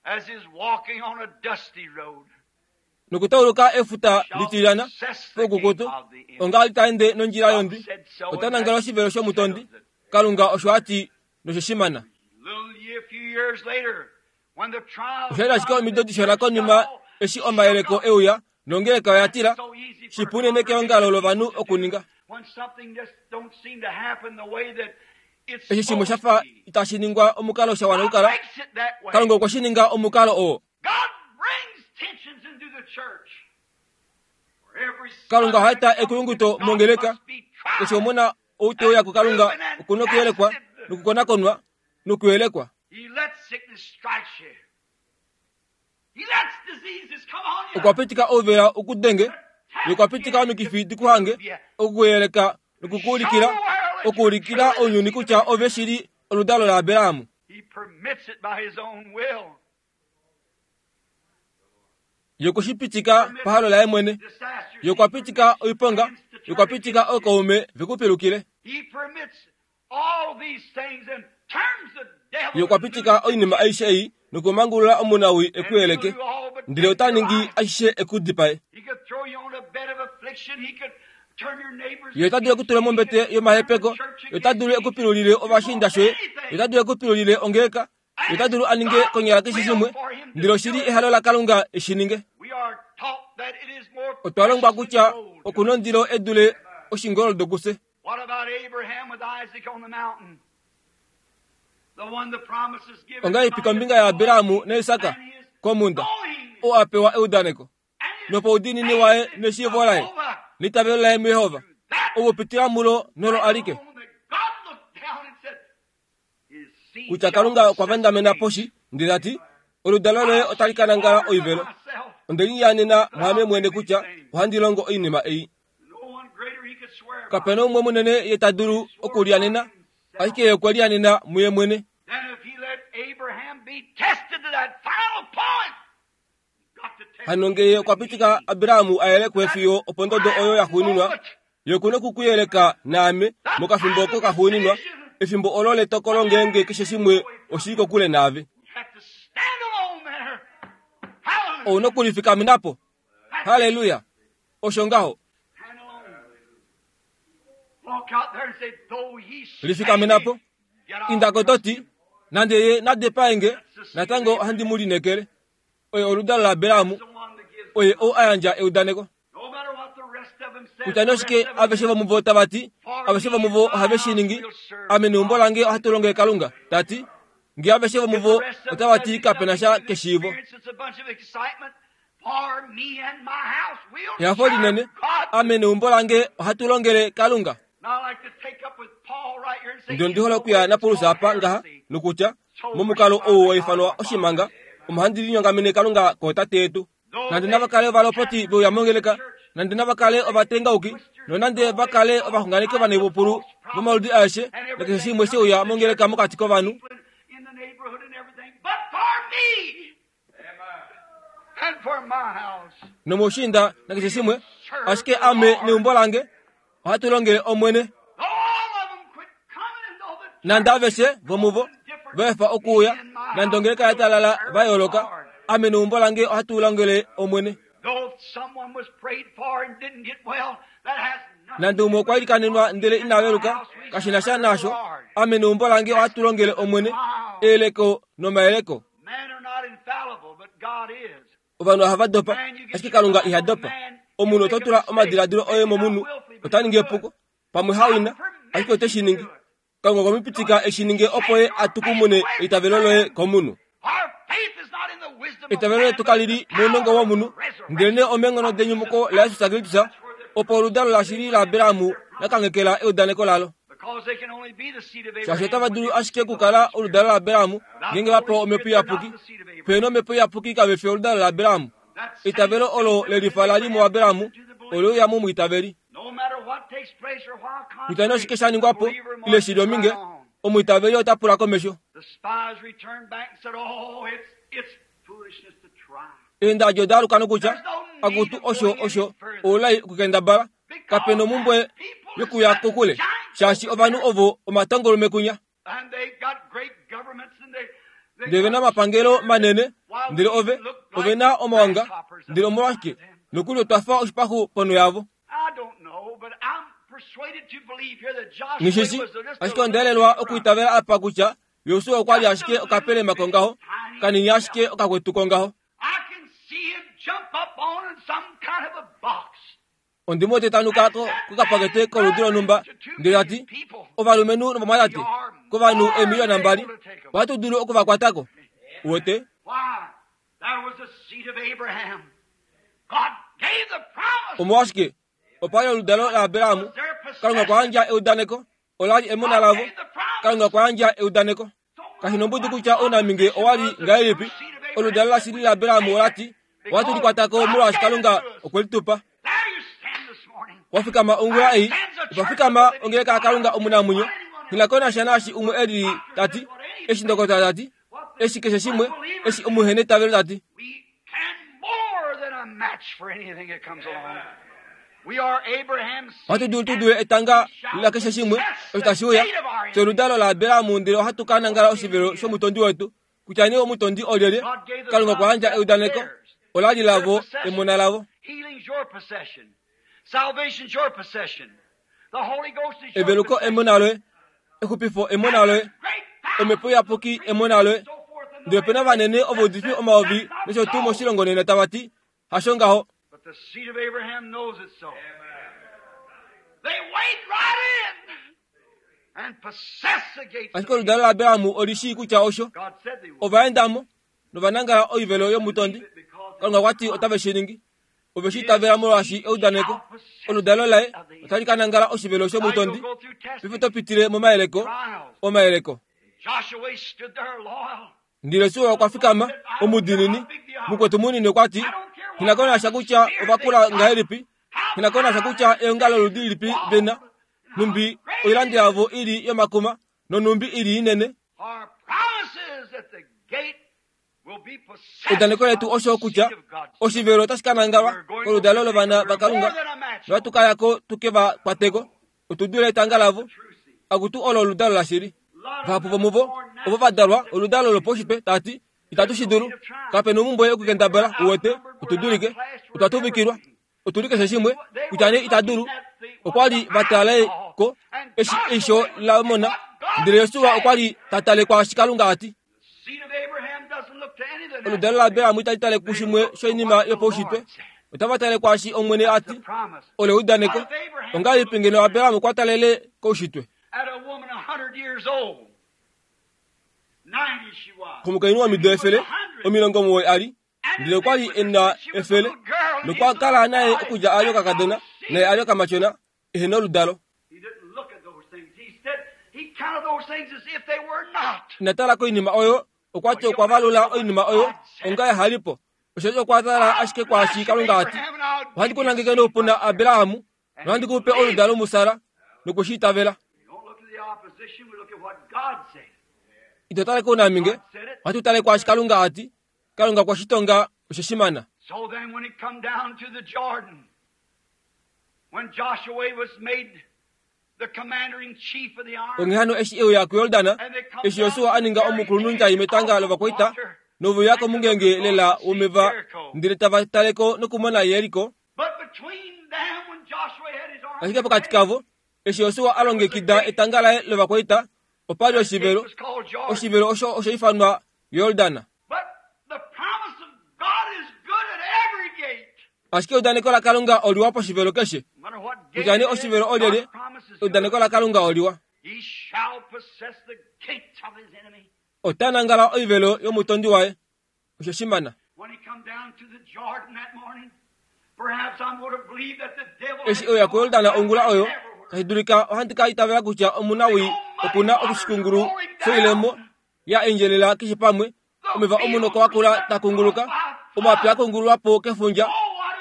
as is walking on a dusty road. Nokutauluka efuta Shall litilyana possess the gate poukukutu, of the enemy. onga ali ta ende nondjila God yondi, said so, ota and nangala that oshivelo shomutondi. settles it. Kalunga osho a ti noshoshimana. Little year, few years later, when the trials Osha li ashike come and omido the dishona church got konima all eshi shook omayeleko up, euya nongeleka oya that's tila, so easy for a shipu unene congregation keongalo of lovanhu people to do okuninga. when something just don't seem to happen the way that Eshi shimwe sha fa itashi ningwa omukalo sha wana okukala, Kalunga okwe shi ninga omukalo oo. Kalunga oha eta ekuyunguto mongeleka. Keshe omona ou te uya kuKalunga okuna okuyelekwa nokukonakonwa nokuyelekwa. Okwa pitika ouvela ukudenge, ye okwa pitika omikifi dikuhange, okukuyeleka nokukuulikila, okuulikila ounyuni kutya ove shili oludalo laAbraham. Ye okwe shi pitika pahalo laye mwene. Ye okwa pitika oiponga, ye okwa pitika ookaume vekupilukile. Ye okwa pitika oinima aishe ei nokumangulula omunawii ekuyeleke, ndele ota ningi ashishe ekudipae. Ye ota dulu okutula mombete yomahepeko, ye ota dulu ekupilulile ovashiinda shoye, ye ota dulu ekupilulile ongeleka, ye ota dulu a ninge konyala keshe shimwe, ndele oshili ehalo laKalunga eshi ninge. Otwa longwa kutya okuna ondilo edule oshingoldo kufye. Ongahelipi kombinga yaAbraham naIsak komhunda, oo a pewa eudaneko, nopoudiinini waye neshiivo laye neitavelo laye muJehova, okupitila mulo nolo alike, kutya Kalunga okwa vandamena poshi ndele ta ti, oludalo loye otali ka nangala oivelo. Onde lianena mwaame mwene kutya ohandi longo oinima ei. Kapena umwe munene ye ta dulu okulianena, ashike ye okwe lianena muye mwene. Hano ngee ye okwa pitika Abraham a yelekwe fiyo opondodo oyo yaxuuninwa, ye okuna okukuyeleka naame mokafimbo oko kaxuuninwa, efimbo olo letokolo ngeenge keshe shimwe oshili kokule naave. Ouna okulifikamena po. Halleluya! Osho ngaho. Lifikamena po. Inda ko to ti, nande ye na dipae natango ohandi mu lineekele. Oye oludalo laAbraham, oye ou a yandja eudaneko. Kutya noshike aveshe vomuvo tava ti, aveshe vomuvo ohave shi ningi, ame neumbo lange ohatu longele Kalunga, ta ti, ngee aveshe vomuvo otava ti kapena sha keshiivo. Ehafo linene, ame neumbo lange ohatu longele Kalunga. Ndele ondi hole okuya naPaulus apa ngaha nokutya, momukalo ou wa ifanwa oshimanga, omo handi linyongamene Kalunga kootate yetu. Nande nava kale ovalopoti veuya mongeleka, nande nava kale ovatengauki, nonande va kale ovaxunganeki ovaneipupulu vomaludi aeshe, nakeshe shimwe sheuya mongeleka mokati kovanhu, nomoushiinda nakeshe shimwe, ashike ame neumbo lange ohatu longele Omwene. Nande aveshe vomuvo va efa okuuya, nande ongeleka ya talala va yooloka, ame neumbo lange ohatu longele Omwene. Nande umwe okwa ilikanenwa ndele ina veluka, kashi na sha naasho, ame neumbo lange ohatu longele Omwene. Eyeleko nomayeleko. Ovanhu ohava dopa, ashike Kalunga iha dopa. Omunhu oto tula omadiladilo oye momunhu, ota ningi epuko, pamwe hawina, ashike ote shi ningi. Kalunga okwe mu pitika eshi ninge opo ye a tukumune eitavelo loye komunhu. Eitavelo letu kali li mounongo womunhu, ndelenee omeenghono denyumuko laJesus Kristus, opo oludalo lashili laAbraham la kanghekela eudaneko lalo. Shaashi otava dulu ashike okukala oludalo laAbraham ngeenge va pewa Omhepo Iyapuki. Pehena Omhepo Iyapuki kave fi oludalo laAbraham. Eitavelo olo lelifa la li muAbraham ole uya momwiitaveli. Kutya nee oshike sha ningwa po ile shi li ominge, omwiitaveli ota pula komesho. Eendadi oda aluka nokutya, akutu osho osho oulai okukendabala, kape nomumbwe yokuya kokule, shaashi ovanhu ovo omatongolume kunya. Ndele ve na omapangelo manene, ndele ove ove na omaonga, ndele omolwashike nokuli otwa fa oshipaxu ponho yavo. Nghishishi, ashike onda yelelwa okwiitavela apa kutya Josua okwa li ashike okapelema kongaho, kanini ashike okakwetu kongaho. Ondimo tetanuka ko kokapakete koludi lonhumba ndele tati ovalumenhu novamwatate kovanhu eemiliyona mbali ohatu dulu okuvakwatako. Uwete? Omolwashike? Opa li oludalo laAbraham. Kalunga okwa yandja eudaneko. Ola li emona lavo. Kalunga okwa yandja eudaneko. Kashi nombudi kutya ounaminge owa li ngahelipi, oludalo lashili laAbraham ola ti ohatu likwatako molwaashi Kalunga okwe li tupa. Wafikama ongula ei, opa fikama ongeleka yaKalunga omunamwenyo. Nghi ko nasha naashi umwe e lili tati, eshi ndokotola tati, eshi keshe shimwe, eshi omuhenetavelo tati. Ohatu dulu tu dule etanga lakeshe shimwe osho tashi uya sholudalo laAbraham, ndele ohatu ka nangala oshivelo shomutondi wetu. Kutya nee omutondi olyelye, Kalunga okwa yandja eudaneko. Ola li lavo, emona lavo. Eveluko emona loye, exupifo emona loye, omhepo iyapuki emona loye. Ndele opena vanene ovaudifi omayovi nosho tuu moshilongo nena tava ti hasho ngaho. Ashike oludalo laAbraham oli shii kutya osho. Ovaendamo novanangala oivelo yomutondi. Kalunga okwa ti otave shi ningi. Ove shi itavela molwaashi eudaneko. Oludalo laye otali ka nangala oshivelo shomutondi. Paife to pitile momayeleko, omayeleko. Ndele Josua okwa fikama omudiinini. Mukwetu munini okwa ti, nghi ko nasha kutya ovakula ngahelipi, nghi ko nasha kutya eongalo loludi lilipi vena, numbi oilando yavo ili yomakuma nonumbi ili inene. Eudaneko letu osho kutya oshivelo otashi ka nangalwa koludalo lovana vaKalunga, nohatu ka yako tuke va kwateko. Otu dule etanga lavo. Akutu olo oludalo lashili. Vahapu vomuvo ovo va dalwa oludalo lopaushitwe tati itatu shi dulu. Kape nomumbwe yokukendabala. Uwete, otu dulike, otwa tuvikilwa, otu li keshe shimwe kutya nee ita dulu. Okwa li va tale ko eshi eisho la mona, ndele Josua okwa li ta tale kwaashi Kalunga a ti. Oludalo laAbraham itali tale kushimwe shoinima yopaushitwe, otava tale kwaashi Omwene a ti. Olo eudaneko. Ongahelipi ngeno Abraham okwa talele koushitwe? Komukainhu womido efele omilongo omuwoi a li, ndele okwa li e na efele, nokwa kala naye okudja a li okakadona naye a li okamatyona ehe noludalo. Ina tala koinima oyo, okwa ti okwa valula oinima oyo onga yahalipo. Osheshi okwa tala ashike kwaashi Kalunga a ti, ohandi ku nangeke noupuna Abraham, nohandi ku pe oludalo muSara, noku shi itavela. Ito tale kounaminge, ohatu tale kwaashi Kalunga a ti. Kalunga okwa shitonga osho shimana. Onghee hano eshi e uya kuJordan, eshi Josua a ninga omukulunhundjai metanga lovakwaita, nove uya komungenge lela womeva, ndele tava taleko nokumona Jeriko. Ashike pokati kavo, eshi Josua a longekida etanga laye lovakwaita, opa li oshivelo. Oshivelo osho osha ifanwa Jordan. Ashike eudaneko laKalunga oliwa poshivelo keshe. Kutya nee oshivelo olyelye, eudaneko laKalunga oliwa. Ota nangala oivelo yomutondi waye. Osho shimana. Eshi e uya kuJordan ongula oyo, tashi dulika ohandi ka itavela kutya omunawii oku na oshikungulu shoilemo ya endjelela keshe pamwe, omeva omunoko wakula ta kunguluka, omapya a kungululwa po kefundja.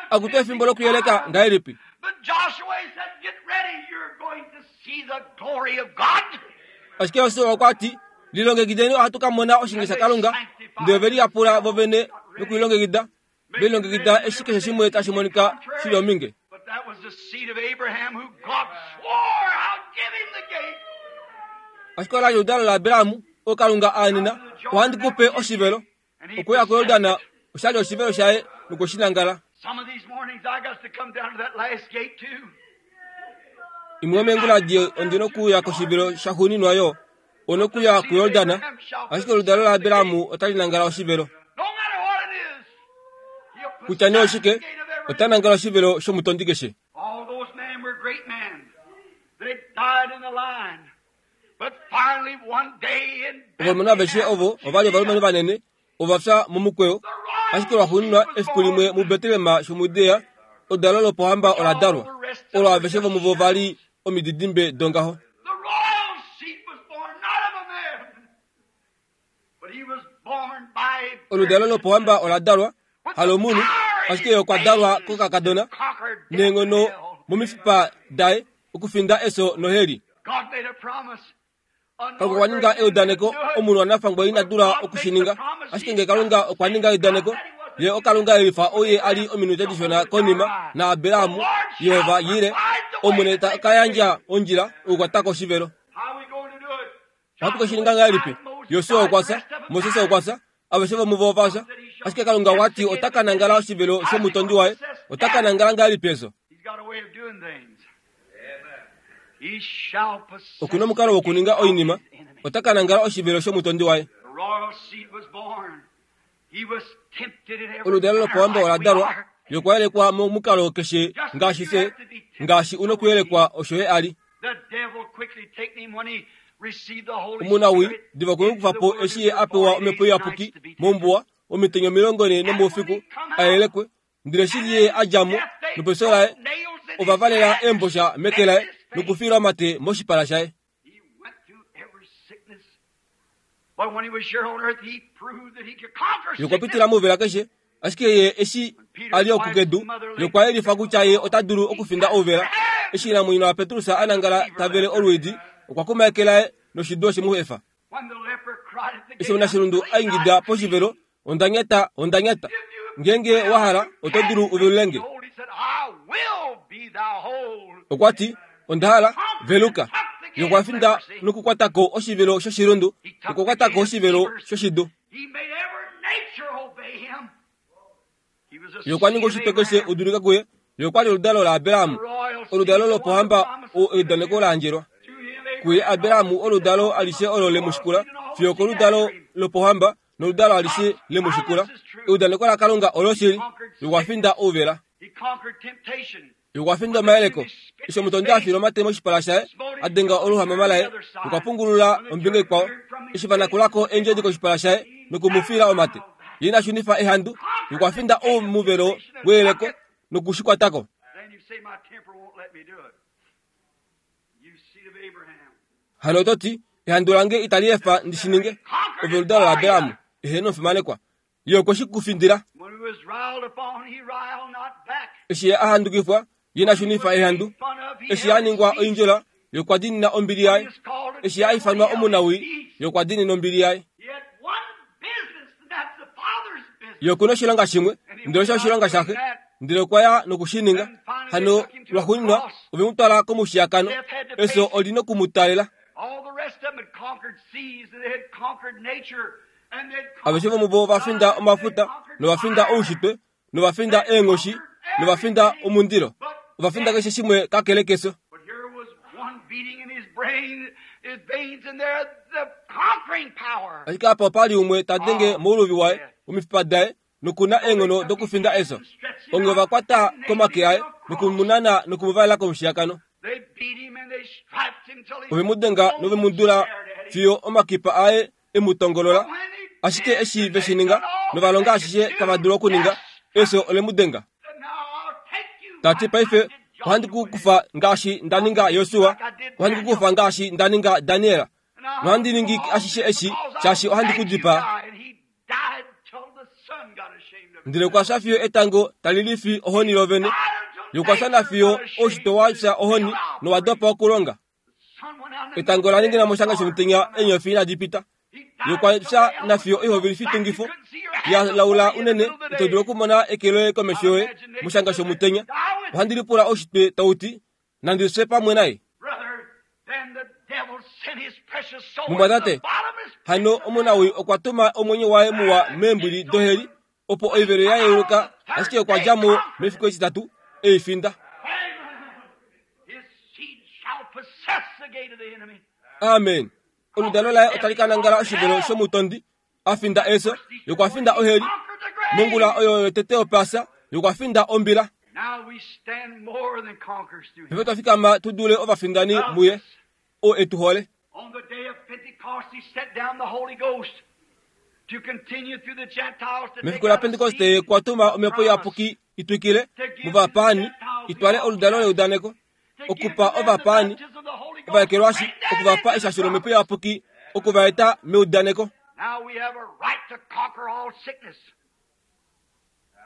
Akutu efimbo lokuyeleka ngahelipi? Ashike Josua okwa ti, lilongekideni ohatu ka mona oshinge shaKalunga. Ndele ove liyapula vovene nokulilongekida, velilongekida eshi keshe shimwe tashi monika shi li ominge. Ashike ola li oludalo laAbraham, oo Kalunga a anena, ohandi ku pe oshivelo. Okuya kuJordan osha li oshivelo shaye nokwe shi nangala. Imwe yomeengula ondi nokuya koshivelo shaxuuninwa yo, onokuya kuJordan, ashike oludalo laAbraham otali nangala oshivelo. Kutya nee oshike, ota nangala oshivelo shomutondi keshe. great men. They died in the line. But finally one day in Ovalumenhu aveshe ovo ovali ovalumenhu vanene ova fya momukweyo. Ashike lwaxuuninwa efiku limwe muBetlehem shomuJudea oludalo lopohamba ola dalwa. Olo aveshe vomuvo vali omididimbe dongaho. The royal seed was born not of a man, but he was born by a Oludalo lopohamba ola dalwa halomunhu, ashike ye okwa dalwa kokakadona neenghono momifipa daye okufinda eso noheli. God made a promise. Kalunga okwa ninga eudaneko omunhu wanafangwa ina dula okushininga, ashike ngee Kalunga okwa ninga eudaneko, ye oKalunga elifa ouye ali ominute dishona konima na Abrahamu, Yehova yile omwene ta ka yandja ondjila okukwatako oshivelo. How we going to do it? Ohatu ke shininga ngahelipi? Josua okwa fya, Moses okwa fya, aveshe vomuvo ova fya. Ashike Kalunga okwa ti ota ka nangala oshivelo shomutondi waye, ota ka nangala ngahelipi eso? He's got a way of doing things. He shall possess Okuna omukalo wokuninga oinima, ota ka nangala oshivelo shomutondi waye. The royal seed was born. He was tempted in every Oludalo manner lopohamba like ola we dalwa, are. ye okwa yelekwa momukalo keshe ngaashi fye, ngaashi una okuyelekwa osho ye ali. The devil quickly taken him when he received the Holy Omunawi Spirit diva okwe mu into kufa the po wilderness eshi ye for a pewa forty omhepo days and iyapuki nights to be tempted. mombuwa omitenya omilongo ne nomoufiku a yelekwe, ndele shili ye a dja mo nopeso laye ova valela eembosha meke laye nokufiila omate moshipala shaye. He went through every sickness. But when he was here on earth, he proved that he could conquer Ye okwa sickness. pitila mouvela keshe, ashike ye eshi a li oku kedu, ye okwa yelifa kutya ye ota dulu okufinda ouvela. Eshi inamwenyo waPetrus a nangala ta vele olwiidi, okwa kuma eke laye noshidu oshe mu efa. When the leper cried at the Eshi gate, omunashilundu a ingida poshivelo, onda nyata, onda nyata. Ngeenge wa hala, oto dulu u velulenge. He said, I will be thou whole. Okwa ti, onda hala, veluka. Ye okwa finda nokukwatako oshivelo shoshilundu, okwa kwatako oshivelo shoshidu. He made every nature obey him. He was a Ye okwa ninga seed of oshitwe keshe Abraham. udulika kuye. Ye okwa li oludalo laAbraham, oludalo lopohamba o eudaneko la andjelwa. Through him, Kuye Abrahamu oludalo alishe olo le mu shikula, fiyo koludalo lopohamba noludalo alishe le mu shikula. Eudaneko laKalunga oloshili, ye okwa finda ouvela. He conquered temptation. Ye okwa finda omayeleko. Eshi omutondi a fiila omate moshipala shaye, a denga oluhamama laye, okwa pungulula ombinga ikwao. Eshi va nakulako eendjodi koshipala shaye noku mu fiila omate, ye ina shunifa ehandu, ye okwa finda omuvelo weyeleko nokushikwatako. Then you say, my temper won't let me do it. You seed of Abraham. Hano oto ti, ehandu lange itali efa ndi shi ninge. Ove oludalo laAbraham, eheno omufimanekwa. Ye okwe shi ku findila. When he was riled upon, he riled not back. Eshi ye a handukifwa, ye ina shunifa ehandu. Eshi a ningwa oindjola, ye okwa diinina ombili yaye. Eshi a ifanwa omunawi, ye okwa diinina ombili yaye. He had one business, and that's the Father's business. Ye okuna oshilonga shimwe, ndele osho oshilonga shaxe, ndele okwa ya nokushininga. Hano lwaxuuninwa ove mu twala komushiyakano, efyo oli noku mu talela. All the rest of them had conquered seas, and they had conquered nature, and they'd Aveshe vomuvo ova finda omafuta, nova finda oushitwe, nova finda eenghoshi, nova finda omundilo. Ova finda keshe shimwe kakele kefyo. But here was one beating in his brain, his veins in there, the conquering power. Ashike apa opa li umwe ta denge mouluvi waye, omifipa daye, nokuna eenghono dokufinda efyo. Onge ova kwata komake aye, nokumunana nokumuvalela komushiyakano. They beat him and they striped him till he Ove mu denga nove mu dula fiyo omakipa aye e mu tongolola. Ashike eshi ve shi ninga, nova longa ashishe tava dulu okuninga, efyo ole mu denga. Now I'll take you. Tati paife, ohandi ku kufa ngaashi nda ninga Josua, ohandi ku kufa ngaashi nda ninga Daniel, nohandi ningi ashishe eshi, shaashi ohandi ku dipaa. And he died till the sun got ashamed of him. Ndele okwa fya fiyo etango tali lifi ohoni lovene. Ye okwa fya nafiyo oushitwe wa fya ohoni nowa dopa okulonga. Etango la ningina moshanga shomutenya eenyofi inadi pita. Ye okwa fya nafiyo oihovelifitungifa ya laula unene ito dulu okumona eke loye komesho yoye moshanga shomutenya. Ohandi lipula oushitwe tau ti, nandi fye pamwe naye. Brother, then the devil sent his precious soul Mumwatate, into the bottomless pit. Hano omunawi okwa tuma omwenyo waye muwa meembwili doheli, opo oivelo ya yeuluka, ashike okwa dja mo mefiku etitatu ei finda. His seed shall possess the gate of the enemy. Amen. Oludalo laye otali ka nangala oshivelo shomutondi, a finda efyo, ye okwa finda oheli. Mongula oyo yotete yopasa, ye okwa finda ombila. Paife twa fikama tu dule ovafindani muye oo e tu hole. On the day of Pentecost, he set down the Holy Ghost to continue through the Gentiles to take Mefiku la out a Pentekoste seed kwa tuma omhepo promise, iyapuki itwikile muvapaani itwale oludalo leudaneko to give okupa to them the ovapaani baptism of the Holy Ghost, ovaekelwashi bring them okuvapa into the eshasho lomhepo promise. iyapuki okuvaeta meudaneko. Now we have a right to conquer all sickness.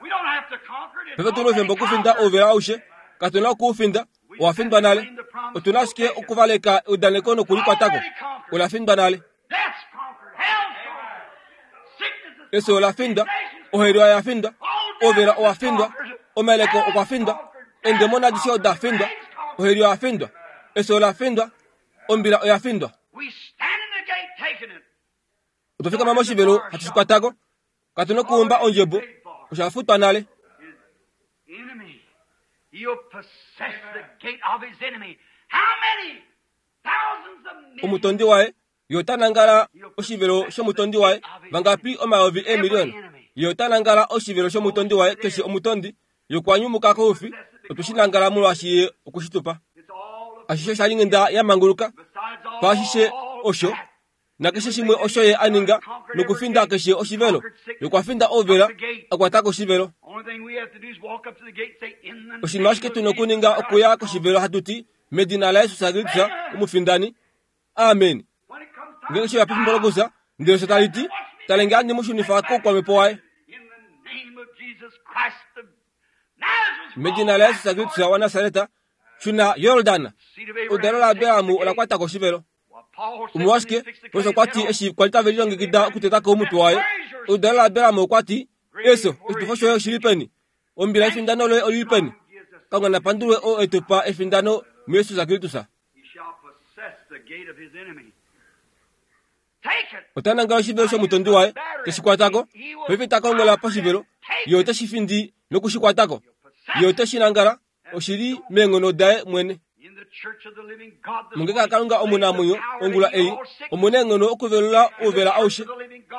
We don't have to conquer it. It's Paife tuna already oufemba okufinda conquered. ouvela aushe katuna okuufinda owafindwa nale. Otuna ashike okuvaleka eudaneko nokulikwatako. Olafindwa nale. Death's conquered. Hell's conquered. Sickness is Eso olafindwa, oheli oyafindwa, ouvela owafindwa, omeleko okwafindwa, endemoni adishe odafindwa, oheli oyafindwa, eso olafindwa, ombila oyafindwa. We stand in the gate taking it. Otwafikama moshivelo hatu shikwatako, katuna okuumba ondjebo, oshafutwa nale. His enemy. He'll possess the gate of his enemy. How many? Thousands of millions. Omutondi waye ye ota nangala oshivelo shomutondi waye vangapi omayovi eemiliona. Ye ota nangala oshivelo shomutondi waye keshe omutondi ye okwa nyumuka koufi otwe shi nangala molwaashi ye okushitupa. It's all Ashishe osha li ya manguluka besides all paashishe osho nakeshe shimwe osho ye a ninga nokufinda keshe oshivelo. Ye okwa finda ouvela akwatako oshivelo. Only thing we have to do is walk up to the gate and say, in the Oshinima ashike name tuna of okuninga Jesus okuya Christ, koshivelo hatu ti medina laYesus Kristus omufindani. Amen. when it comes time Ngenge sheya pefimbo lokusa ndele osho tali ti talenge handi mu shunifa koukwamhepo waye. in the name of Jesus Christ of Nazareth, Medina laYesus Kristus waNasareta shuna Yordan. seed of Abraham, Oludalo laAbraham take the ola gate. kwata koshivelo. What Paul said Omolwashike when they fixed the Paulus clay, okwa ti said, eshi kwali tave lilongekida okutetako omutwe waye oludalo laAbraham okwa ti eso oshitufo shoye oshili peni? Ombila yefindano loye olili peni? Kalunga napandulwe oo etupa efindano muYesus Kristus. He shall possess the gate of his enemy. Take it. Ota nangala oshivelo shomutondi waye teshi kwatako paife ta kongola poshivelo ye oteshi findi nokushikwatako ye oteshi nangala oshili meenghono daye mwene. In the church of the living God, this Mungeka morning, Kalunga omunamwenyo the power ongula to heal ei all sickness. omuna eenghono okuvelula ouvela aushe.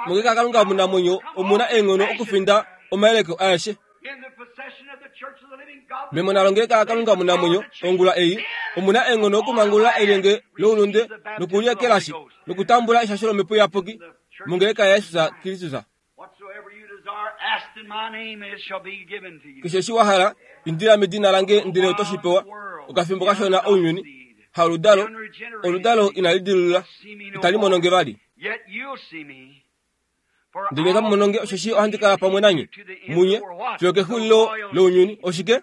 Mungeka Kalunga omunamwenyo omuna eenghono okufinda omayeleko aeshe. In the possession of the church of the living God, this Memona longeleka Kalunga omunamwenyo ongula ei omuna eenghono okumangulula elyenge loulunde nokuliekelashi nokutambula eshasho lomhepo iyapuki mongeleka yaYesus Kristus. Whatsoever you desire, ask in my name, and it shall be given to you. Keshe eshi wa hala indila medina lange ndele oto shi pewa. Okafimbo kashona ounyuni haoludalo oludalo inali dilulula itali mono nge vali. Yet you'll see me. For Ndele otamu mono nge osheshi ohandi kala pamwe nanye munye fiyo kexulilo lounyuni. Oshike?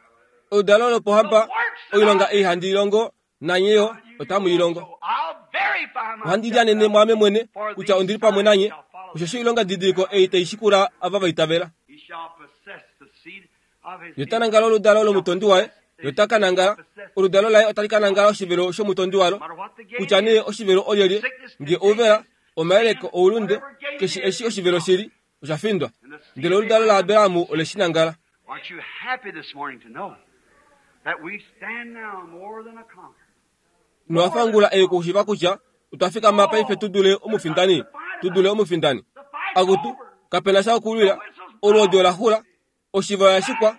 Oludalo lopohamba oilonga ei handi ilongo nanye yo otamu i longo. I'll verify Ohandi myself lianene mwaame mwene kutya ondili pamwe nanye osheshi oilonga didiliko ei tai shikula ava va itavela. He shall possess the seed of his Ye ota nangala oludalo lomutondi waye, ye ota ka nangala oludalo laye otali ka nangala oshivelo shomutondi walo No matter what the gate kutya nee oshivelo olyelye nge ouvela omayeleko oulunde keshe eshi oshivelo shili osha findwa. Ndele oludalo laAbraham ole shi nangala. Aren't you happy this morning to know that we stand now more than a conqueror? Nowafa ongula ei okushiiva kutya otwa fikama paife tu dule omufindani, tu dule omufindani. The fight's Akutu over. kapena sha okulwila, olwoodi ola xula, oshiva oya shikwa,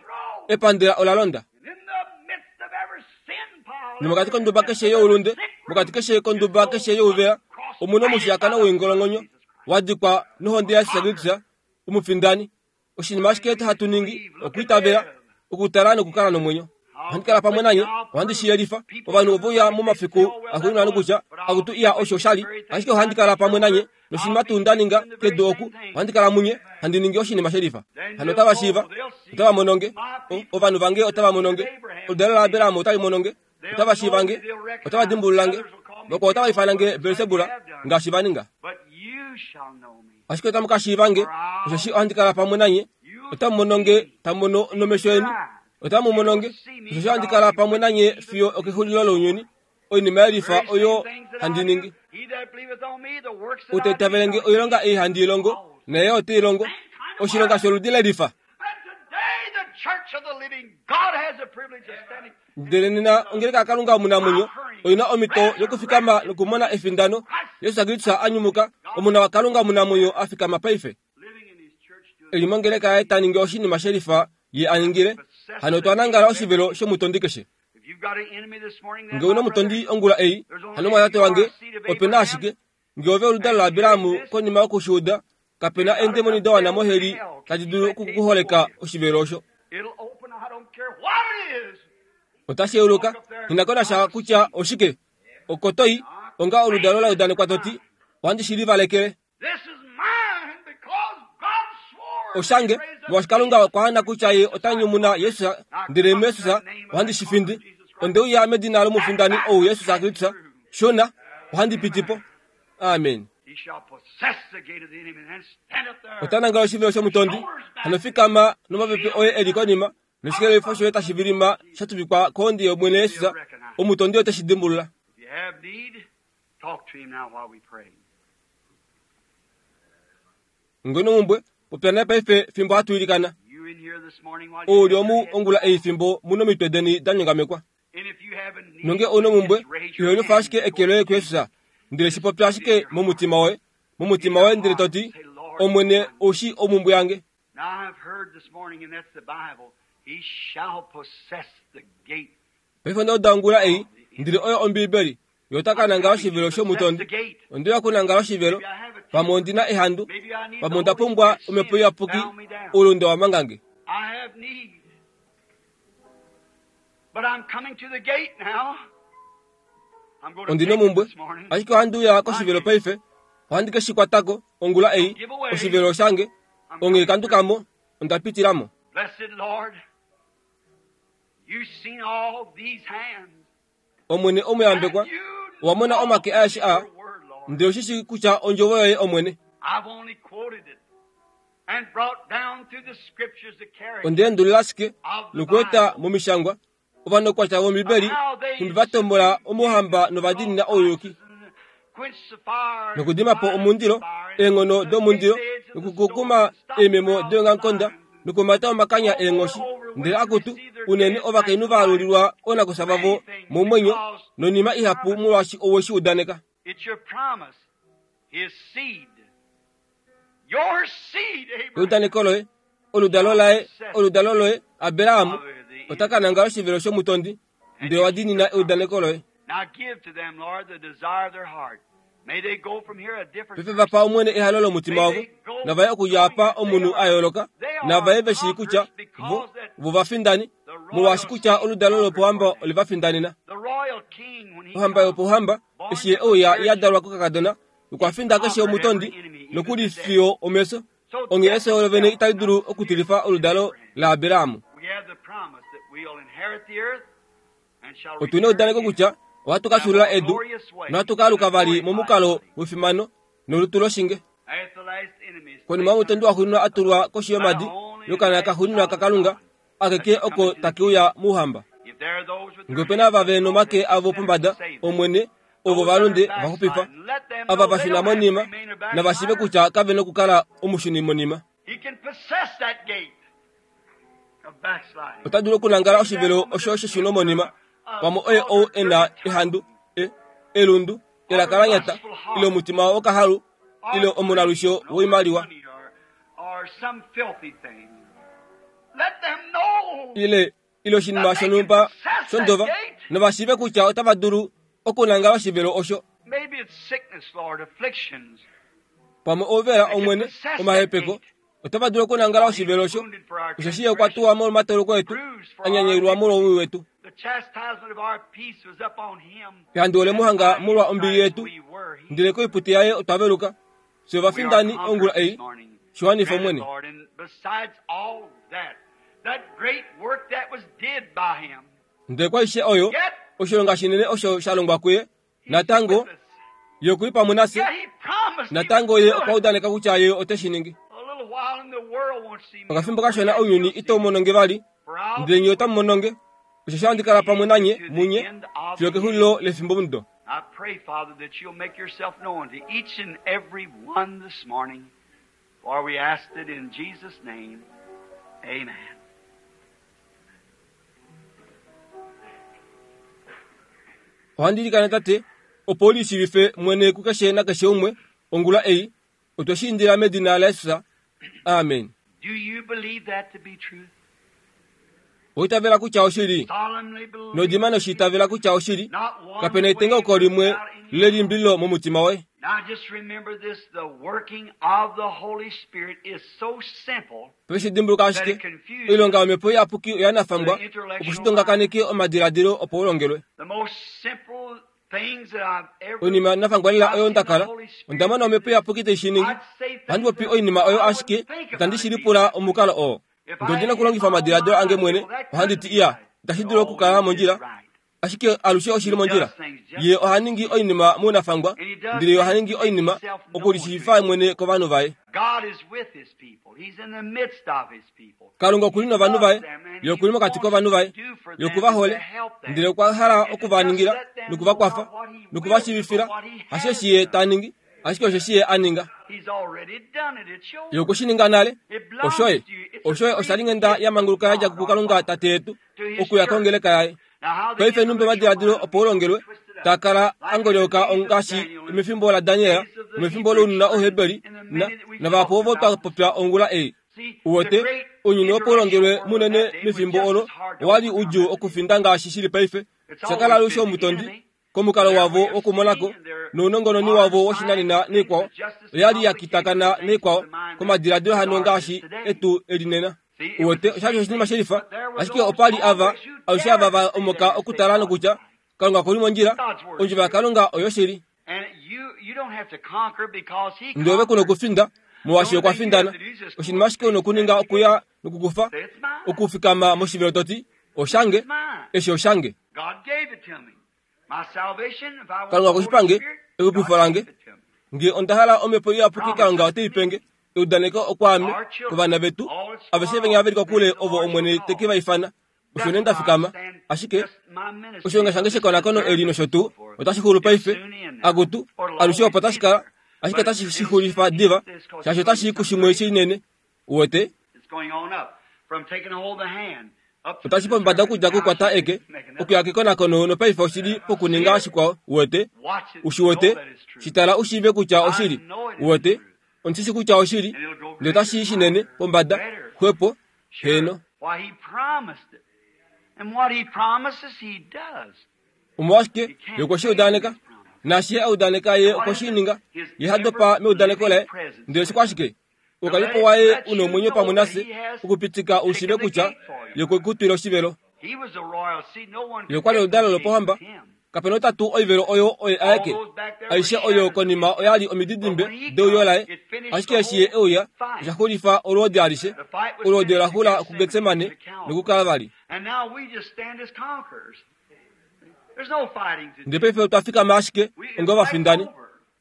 epandela ola londa. And in the midst of every sin pile, Nomokati konduba keshe youlunde, mokati keshe konduba keshe youvela, omuna omushiyakano woingolongonyo wadikwa nohonde yaYesus Kristus omufindani. Oshinima ashike hatu ningi okwiitavela, okutala nokukala nomwenyo. Ohandi kala pamwe nanye, ohandi shi yelifa. Ovanhu ove uya momafiku axuuninwa nokutya akutu iya osho shali, ashike ohandi kala pamwe nanye noshinima tuu nda ninga kedu oku, ohandi kala munye handi ningi oshinima shelifa. Hano otava shiiva, otava mono nge, o- ovanhu vange otava mono nge, oludalo laAbraham otali mono nge, otava shiiva nge, otava dimbulula nge, vakwao otava ifana nge Belsebula ngaashi va ninga. But you shall know me. Ashike otamu ka shiiva nge, osheshi ohandi kala pamwe nanye, otamu mono nge tamu mono nomesho eni, otamu mono nge, osheshi ohandi kala pamwe nanye fiyo okexulilo lounyuni. Oinima yelifa oyo handi ningi. He that believeth on me, the works that Ou ta I do itavele nge shall oilonga ei handi ilongo, naye ote i longo, oshilonga sholudi lelifa. And today the church of the living God has the privilege of standing. Ndele nena ongeleka yaKalunga omunamwenyo oina omhito yokufikama nokumona efindano. Yesus Kristus a nyumuka, omuna waKalunga omunamwenyo a fikama paife. Living in his church doing Eli mongeleka yaye ta ningi oshinima shelifa ye a ningile, Hano otwa nangala oshivelo shomutondi keshe. Nge una omutondi ongula ei, hano mwatate wange, opena ashike nge ove oludalo laAbraham konima yokushuuda, kapena eendemoni da wana moheli tadi dulu okukuholeka oshivelo osho. Otashi yeuluka, nghi kutya oshike. Okotoi onga oludalo la udanekwa toti, ohandi shi livalekele. Oshange, molwaashi Kalunga okwa ana kutya ye ota nyumuna Jesus, ndele muJesus ohandi shi findi. Onde uya medina lomufindani ou Jesus Kristus, shona, ohandi piti po. Amen. Ota nangala oshivelo shomutondi, hano fikama nomapepe oye eli konima, noshikelelifo shoye tashi vilima sha tuvikwa kondi yOmwene Jesus, omutondi ote shi dimbulula. Ngeno mumbwe, popya naye paife fimbo hatu ilikana. Ouli omu ongula ei fimbo muno omitwe deni da nyongamekwa. Nonge ouna omumbwe, iholifa ashike eke loye kuJesus, ndele shi popya ashike momutima woye, momutima woye ndele toti, Omwene oushi omumbwe yange. Paife onda uda ongula ei, ndele oyo Ombiibeli, ye ota ka nangala oshivelo shomutondi. Onde kunangala oshivelo, pamwe ondina ehandu, pamwe onda pumbwa omhepo iyapuki, oulunde wa mangange. Ondina omumbwe, ashike ohandi uya koshivelo paife, ohandi ke shi kwatako ongula ei, oshivelo shange, onghee kandukamo, onda pitilamo. Omwene omuyambekwa, owa mona omake aeshe aa, ndele oshishi kutya ondjovo yoye Omwene. Onde endulula ashike nokueta momishangwa ovanokwatya vOmbibeli nhumbi va tombola omuhamba novadiinina ouyuki, nokudima po omundilo, eenghono domundilo, nokukukuma eememo deongamukonda, nokumata omakanya eenghoshi. Ndele akutu unene ovakainhu va alulilwa oonakufya vavo momwenyo nonima ihapu molwaashi owe shi udaneka. Eudaneko loye, oludalo laye, oludalo loye Abraham ota ka nangala oshivelo shomutondi, ndele wa diinina eudaneko loye. Paife vapa Omwene ehalo lomutima wavo, navaye okudja apa omunhu a yooloka, navaye ve shii kutya vo vo vafindani, molwaashi kutya oludalo lopohamba ole va findanena. Ohamba yopohamba eshi ye ouya ya dalwa kokakadona, okwa finda keshe omutondi nokuli fiyo omefyo. Onghee efyo olo vene itali dulu okutilifa oludalo laAbraham. Otuna eudaneko kutya ohatu ka fyuulula edu nohatu ka aluka vali momukalo wefimano nolutu loshinge. Konima yomutondi waxuuninwa a tulwa koshi yomadi yokana kaxuuninwa kaKalunga, akeke oko take uya mouhamba. Nge opena ava ve nomake avo pombada, Omwene, ovo valunde vaxupifa, ava va shuna monima, nava shiive kutya kave nokukala omushuni monima. Ota dulu okunangala oshivelo osho sheshuno monima, pamwe oye ou e na ehandu, e, elundu, elaka la nyata, ile omutima wokahalu, ile omunalwisho woimaliwa, ile ile oshinima shonhumba shondova, nova shiive kutya otava dulu okunangala oshivelo osho. Pamwe ouvela Omwene, omahepeko, otava dulu okunangala oshivelo osho, osheshi ye okwa tuwa molwomatoloko etu, a nyanyaulwa molwowii wetu. Ehandu ole mu hanga molwa ombili yetu, ndele koiputi yaye otwa veluka. Fye ovafindani ongula ei, shiwanifa Omwene. Ndele kwaishe oyo, oshilonga shinene osho sha longwa kuye, natango ye okuli pamwe nafye, natango ye okwa udaneka kutya ye ote shi ningi. Okafimbo kashona ounyuni itau mononge vali, ndele nye otamu mononge, osheshi ohandi kala pamwe nanye munye fiyo kexulilo lefimbomudo. I pray, Father, that you'll make yourself known to each and every one this morning, for we asked it in Jesus' name. Amen. Ohandi ilikana Tate, opo u lishiivife mwene kukeshe nakeshe umwe ongula ei, otwe shi indila medina laJesus. Amen. Do you believe that to be true? Oitavela kutya oshili. Nodima noshitavela kutya oshili. Kapena etengauko limwe lelimbililo momutima woye. Now just remember this, the working of the Holy Spirit is so simple. Paife dimbuluka ashike oilonga yomhepo iyapuki oya nafangwa opo shitongakaneke omadiladilo opo ulongelwe. The most simple things that I've ever Oinima nafangwa lela oyo ndakala onda mona omhepo iyapuki tai shi ningi. Ohandi popi oinima oyo ashike itandi shi lipula omukalo oo. Ngee ondina okulongifa omadiladilo ange mwene ohandi ti iya itashi dulu okukala mondjila. Ashike alushe oshili mondjila. Ye oha ningi oinima mounafangwa, ndele ye oha ningi oinima okulishiifa mwene kovanhu vaye. God is with his people. He's in the midst of his people. Kalunga okuli novanhu vaye, ye okuli mokati kovanhu vaye, ye okuva hole, ndele okwa hala okuva ningila nokuvakwafa nokuvashiivifila hasheshi ye ta ningi, ashike osheshi ye a ninga. He's already done it. It's yours. Ye okwe shi ninga nale. It belongs Oshoye, to you. It's a oshoye osha li nghenda ya manguluka ya dja kuKalunga Tate yetu okuya kongeleka yaye. Now how the Paife numbe omadiladilo opo ulongelwe taa kala angolyoka ongaashi mefimbo laDaniel, mefimbo lounona Ouheberi na navahapu ovo twa popya ongula ei. See, the Uwete great ounyuni opo ulongelwe intellectual munene world that day was mefimbo just olo as hard to owali overcome. udjuu okufinda ngaashi shili paife. It's Shakala always alushe been the omutondi enemy. komukalo There wavo we have wokumonako seen their nounongononi modern wavo woshinanena science neikwao things are just as oyali ya complicated kitakana as things neikwao to the mind komadiladilo that hano ours is ngaashi today. etu elinena. See, it was Uwete the oshali same oshinima thing, shelifa but there were ashike those opali ava always who alushe ava dared va to say omoka that and say okutala God is nokutya right. Kalunga okuli mondjila God's word is ondjovo true. yaKalunga oyoshili. And you, you don't have to conquer because he Ndele ove kuna conquered. okufinda The molwaashi only okwa thing you have findana. to do is just go Oshinima up ashike una and okuninga stand okuya together. nokukufa Say, it's mine. okufikama moshivelo toti oshange It's mine. eshi oshange. God gave it to me. My salvation, if I want Kalunga the okwe shi Holy pange Spirit, exupifo God lange. gave it to me. Ngee onda hala omhepo iyapuki Kalunga ote i penge eudaneko okwaame Our children, kovana vetu all that's aveshe far venya off, veli the kokule the ovo Lord shall Omwene call. te ke va ifana. Osho That's nee nda why I fikama stand ashike just my ministry oshilonga of shange this shekonakono eli discernment nosho and tuu so forth otashi xulu is paife soon in now. akutu Or it'll alushe always opo be tashi kala there. ashike But otashi it'll shi soon xulifa end diva this because shaashi it's going otashi to i something kushimwe greater. shinene. Uwete It's going on up from taking hold of the hand up to the otashi pombada discernment. okudja Now kukwata she's eke making another okuya kekonakono nopaife oshili pokuninga See it? shikwao. Uwete Watch it. ushiwete Know that it's true. shitala ushiive kutya I oshili. know it is Uwete true. ondishi kutya oshili And it'll go ndele otashi greater, i shinene higher, pombada better. xwepo Sure. heno. Why, he promised it. And what he promises, he does. Omolwashike He ye can't okwe shi fail in udaneka his promise. naashi ye a udaneka ye And what okwe is shi it? ninga His ye hadopa ever meudaneko living laye presence ndele with us. shikwashike To let oukalipo it waye let una you omwenyo know pamwe that nafye he has okupitika ushiive taken the kutya gate for ye you. okwe ku twila oshivelo. He was a royal seed. No one Ye could okwa li get to oludalo the gate lopohamba with him. kapena otatu oivelo oyo oye All aeke those back there were aishe oyo shadows of konima him. oyali But omididimbe when he deuyo come, laye it finished ashike the eshi ye whole euya fight. osha xulifa olwoodi alishe The fight was olwoodi finished ola at xula Gethsemane kuGetsemane and at Calvary. nokuKalvari. And now we just stand as conquerors. There's no fighting to Ndele do. paife otwa fikama ashike We, onga it's ovafindani over.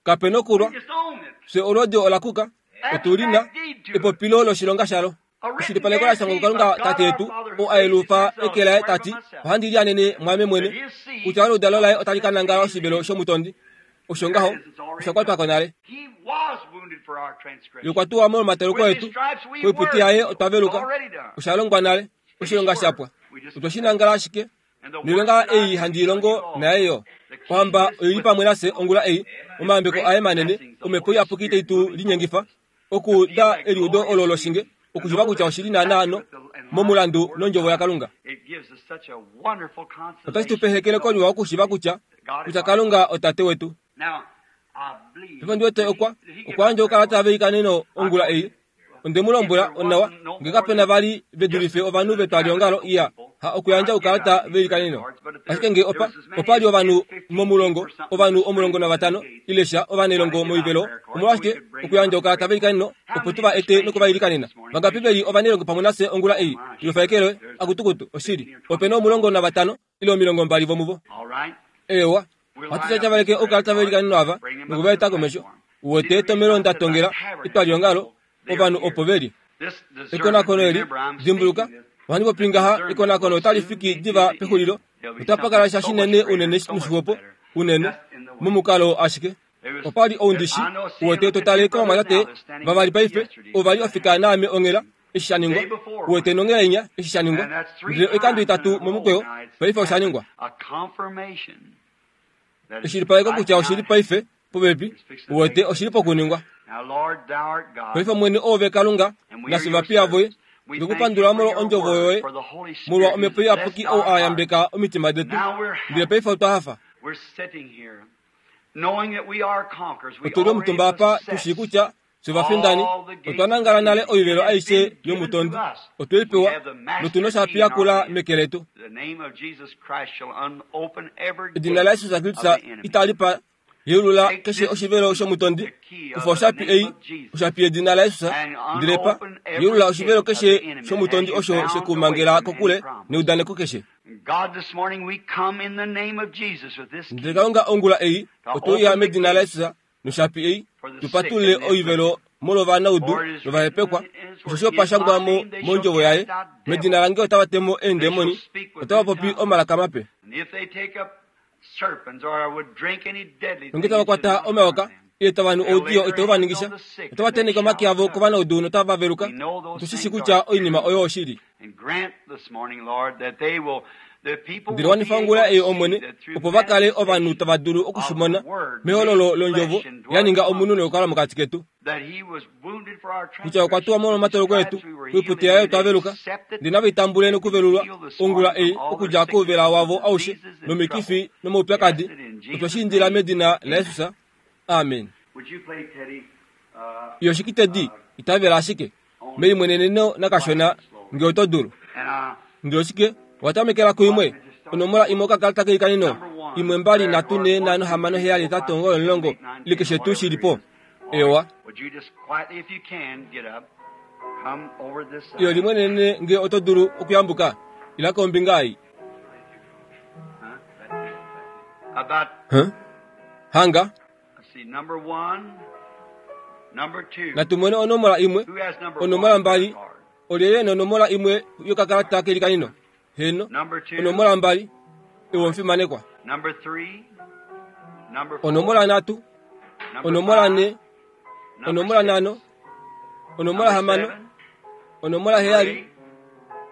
kapena We okulwa just own it. fye olwoodi ola kuka otulina Abstract deed to it. epopilo loshilonga shalo. A written Eshilipaleko la shangwa guarantee by kuKalunga God Tate our yetu Father who oo a yelufa gracious eke laye himself swear by tati myself ohandi lianene mwaame that mwene his seed kutya oludalo laye shall otali possess ka the nangala gate of the oshivelo enemy. shomutondi. Osho There ngaho it is. It's already osha kwatwa done. ko nale. He was wounded for our Ye transgression. okwa tuwa molwomateluko With his etu stripes we koiputi were yaye healed. otwa It's veluka already done. osha longwa nale Finished oshilonga work. shapwa. We just Otwe shi possess nangala it. ashike And the works noilonga that I ei do handi shall you ilongo naye also. yo. The king Ohamba is oili with pamwe us. nafye ongula ei His omayambeko great aye manene blessings, the omhepo Holy iyapuki tai Spirit tu moving forth linyengifa us to feel okuuda that eliudo olo glorious loshinge beauty, to okushiiva know kutya that oshili it's naanaano accurate and line with momulandu the Word of nondjovo God. yaKalunga. It gives us such a wonderful Otashi tu consolation pe to ehekeleko know liwa okushiiva kutya that God is kutya our Kalunga Father. otate wetu. Now, I believe Paife ndi wete did he okwa did he give okwa out yandja prayer oukalata cards? veikaneno I ongula told ei him onde mu if lombwela there onawa wasn't no ngee more kapena than vali ve just dulife ovanhu the vetwaliongalo tabernacle iya people, ha okuyandja I'd give oukalata out these prayer veikaneno. cards. But if Ashike there ngee there opa was as many opali as ovanhu ten, fifteen momulongo people or something ovanhu that was omulongo standing at the navatano gate, ile sha why ovanailongo to give out moivelo prayer cards so we omolwashike could bring them okuyandja up and oukalata pray for them. veikaneno How opo many tu va is a ete stranger with us nokuvailikanena. this morning? Vangapi Raise veli your hand. ovanailongo pamwe nafye ongula Oh ei my, sure. ilofaekelwe There's akutukutu oshili fifteen or twenty opena of them. omulongo navatano ile omilongo mbali vomuvo. All right. Ewa We'll ohatu line up these tyatyavaleke prayer oukalata cards, veikaneno ava bring them up to nokuvaeta the komesho. platform. See Uwete the reason etomelo I said nda about tongela tabernacle etwaliongalo people, they're ovanhu here. opo veli. This discernment, Ekonakono eli remember I'm dimbuluka speaking this, ohandi popi the ngaha discernment ekonakono will otali soon fiki be to diva the end. pexulilo There'll be otapa kala something sha so much shinene greater, unene so much noshihopo better, unene just in the way. momukalo ashike. There was, Opali there, oundishi I know seeing uwete the two totale brothers kovamwatate now that's standing vavali with me paife yesterday ovali that ofika happened. naame onghela eshi sha ningwa Day before uwete Wednesday. nonghela inya eshi sha ningwa And that's three ndele oikando times in itatu a row momukweyo now it's paife osha happened. ningwa. A confirmation that it's Eshilipaleko right kutya now oshili at hand. paife popepi It's fixing to uwete take oshili place. pokuningwa. Now, Lord, thou art God, Paife mwene oove Kalunga and we are nafye your ovapiya voye servants. Ndokupandula molwa ondjovo yoye, molwa omhepo iyapuki ou a yambeka omitima detu. Ndele paife otwa hafa. Otuli omutumba apa tushii kutya fye vafindani, otwa nangala nale oivelo aishe yomutondi, otwe i pewa notu noshapi yakula meke letu. Edina laJesus Kristus itali pa yeulula keshe oshivelo shomutondi. Kufa oshapi ei, oshapi yedina laJesus, ndele pa yeulula oshivelo keshe shomutondi osho shekumangela kokule neudaneko keshe. Ndele Kalunga ongula ei otwe uya medina laJesus noshapi ei, tupatulule oivelo molwovanaudu novahepekwa, osho opashangwa mo mondjovo yaye, medina lange otava temo eendemoni, otava popi omalaka mape. Nonge tava kwata omayoka ile tava nu oudiyo itau va ningisha, otava tenheke omake avo kovanaudu notava veluka. Otushishi kutya oinima oyo oshili. Ndele wanifa ongula ei Omwene, opo va kale ovanhu tava dulu okushimona mehololo londjovo ya ninga omunhu nokukala mokati ketu, kutya okwa tuwa molwomatoloko etu, oipute yaye otwa veluka. Ndele nava itambule nokuvelulwa ongula ei okudja kouvela wavo aushe nomikifi nomaupyakadi. Otwe shi indila medina laJesus. Amen. Iyo shikitedi itavela ashike meimweneneno nakashona nge oto dulu. Ndele oshike watamekela kuimwe onomola imwe okakalata keikanino imwe mbali nhatu ne nhano hamano heyali hetatu omugoyi omulongo ile keshe tuu shilipo. Ewa, iyo limwenenene nge oto dulu okuyambuka ila kombinga ei. Huh? Hanga natumone onomola imwe, onomola mbali, olyelye nonomola imwe yokakalata kelikanino. Heno, onomola mbali, ewo omufimanekwa. Onomola nhatu, onomola ne, onomola nhano, onomola hamano, onomola heyali,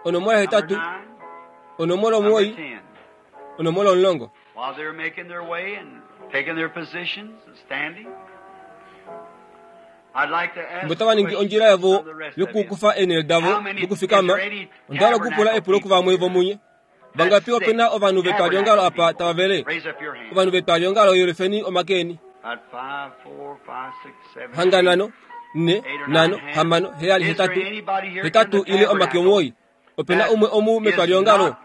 onomola hetatu, onomola omugoyi, onomola omulongo. Mbo tava ningi ondjila yavo yokukufa eenhele davo dokufikama, onda hala okupula epulo kuvamwe vomunye. Vangapi opena ovanhu vetwaliongalo apa tava vele? Ovanhu vetwaliongalo yelufeni omake eni. Hanga nhano, ne, nhano, hamano, heyali, hetatu, hetatu ile omake omugoyi. Opena umwe omu metwaliongalo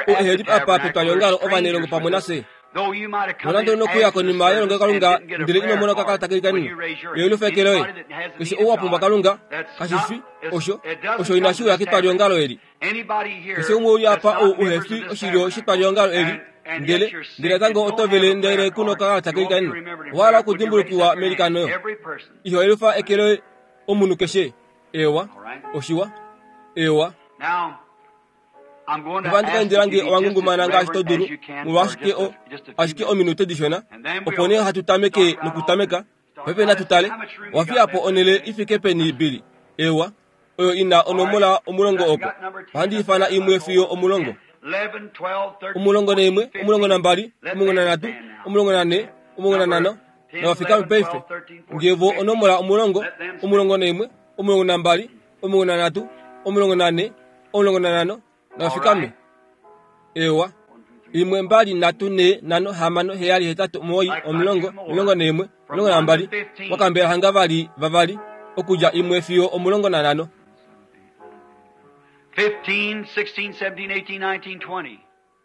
ou eheli apa petwaliongalo ovanelongo pamwe nafye. Nonande onokuya konima yelongelokalunga ndele ino mona okakalata keikanino, yelufa eke loye. Keshe ou wa pumbwa Kalunga, kashifi osho osho inashi uya ketwaliongalo eli. Keshe umwe uli apa ou uhefi oshilyo shetwaliongalo eli, ndele ndele natango oto vele ndele kuna okakalata keikanino, owa hala okudimbulukiwa melikano. Iho yelufa eke loye omunhu keshe. Ewa, oshiwa. Ewa. Ohandi ka indila nge owangungumana ngaashi to dulu, molwashike o ashike ominute dishona, opo nee hatu tameke nokutameka. Paife natu tale, owa fiya po onhele ifike peni Billy? Ewa, oyo ina onomola omulongo oko. Ohandi ifana imwe fiyo omulongo. Omulongo neimwe, omulongo nambali, omulongo nanhatu, omulongo nane, omulongo nanhano, navafikame paife. Ngevo onomola omulongo, omulongo neimwe, omulongo nambali, omulongo nanhatu, omulongo nane, omulongo nanhano, navafikame. Ewa, imwe mbali nhatu ne nhano hamano heyali hetatu omugoyi omulongo omulongo neimwe omulongo nambali wakambela hanga vali vavali okudja imwe fiyo omulongo nanhano.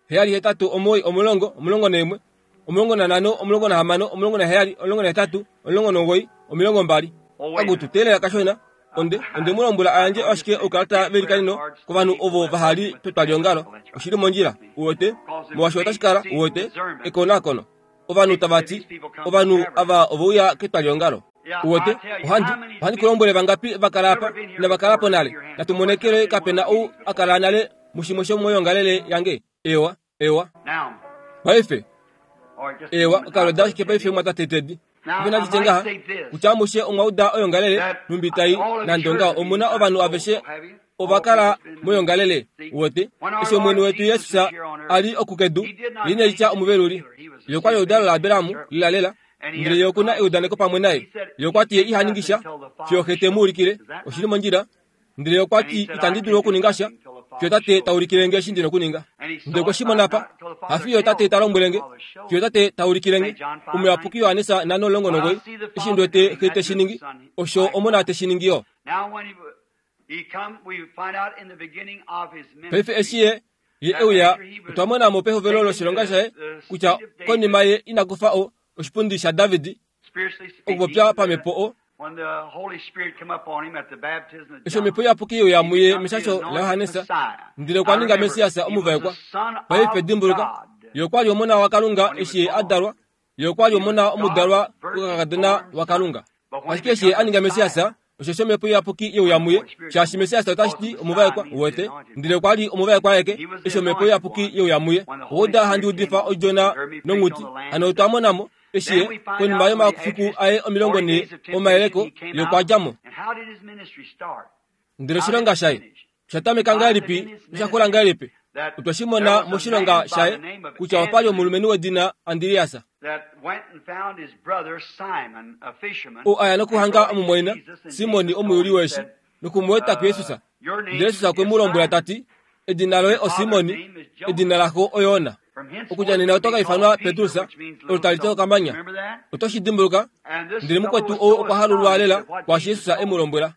Heyali hetatu omugoyi omulongo omulongo neimwe omulongo nanhano omulongo nahamano omulongo naheyali omulongo nahetatu omulongo nomugoyi omilongo mbali. Akutu teelela kashona. Onde onde mu lombwela ayandje ashike oukalata velikanino kovanhu ovo vahali petwaliongalo. Oshili mondjila, uwete, molwaashi otashi kala, uwete, ekonakono. Ovanhu tava ti, ovanhu ava oveuya ketwaliongalo. Uwete, ohandi ohandi ku lombwele vangapi va kala apa inava kala po nale. Natu monekele kapena ou a kala nale mushimwe shomoyoongalele yange. Ewa, ewa. Paife, ewa, okaloda ashike paife mwatate Teddy. Ove nanditye ngaha, kutya amushe omwa uda oyoongalele nhumbi tai nande ongaho omuna ovanhu aveshe ova kala moyoongalele. Uwete, eshi Omwene wetu Jesus a li okukedu, ye ine litya omuveluli. Ye okwa li oludalo laAbraham lelalela, ndele ye okuna eudaneko pamwe naye. Ye okwa ti ye iha ningi sha fiyo Xe te mu ulikile. Oshili mondjila. Ndele okwa ti itandi dulu okuninga sha fiyo tate ta ulikile nge eshi ndi na okuninga. Ndele okwe shi mona apa, hafiyo tate ta lombwele nge, fiyo tate ta ulikile nge. Omuyapuki Johannes nhano omulongo nomugoyi, eshi ndi wete xe te shi ningi, osho omona te shi ningi yo. Paife eshi ye ye euya, otwa mona mo pehovelo loshilonga shaye kutya konima ye ina kufa o oshipundi shaDavid okupopya pamhepo o eshi omhepo iyapuki yeuya muye meshasho laJohannes, ndele okwa ninga Messias omuvaekwa. Paife dimbuluka, ye okwa li omona waKalunga eshi ye a dalwa, ye okwa li omona omudalwa wokakadona waKalunga. Ashike eshi ye a ninga Messias, osho omhepo iyapuki yeuya muye, shaashi Messias otashi ti omuvaekwa, uwete. Ndele okwa li omuvaekwa aeke eshi omhepo iyapuki yeuya muye. Ouda handi udifa odjona nonghuti, hano otwa mona mo eshi ye konima yomafiku aye omilongo nhee omayeleko, ye okwa dja mo. Ndele oshilonga shaye osha tameka ngahelipi nosha xula ngahelipi? Otwe shi mona moshilonga shaye kutya opa li omulumenhu wedina Andreas, oo a ya nokuhanga omumwaina Simon omuyuli weeshi nokumueta kuJesus. Ndele Jesus okwe mu lombwela ta ti, edina loye oSimon, edina laxo oYona. Okudja nena oto ka ifanwa Petrus, olo tali ti okamanya. Oto shi dimbuluka? Ndele mukwetu ou okwa halulwa lela kwaashi Jesus e mu lombwela.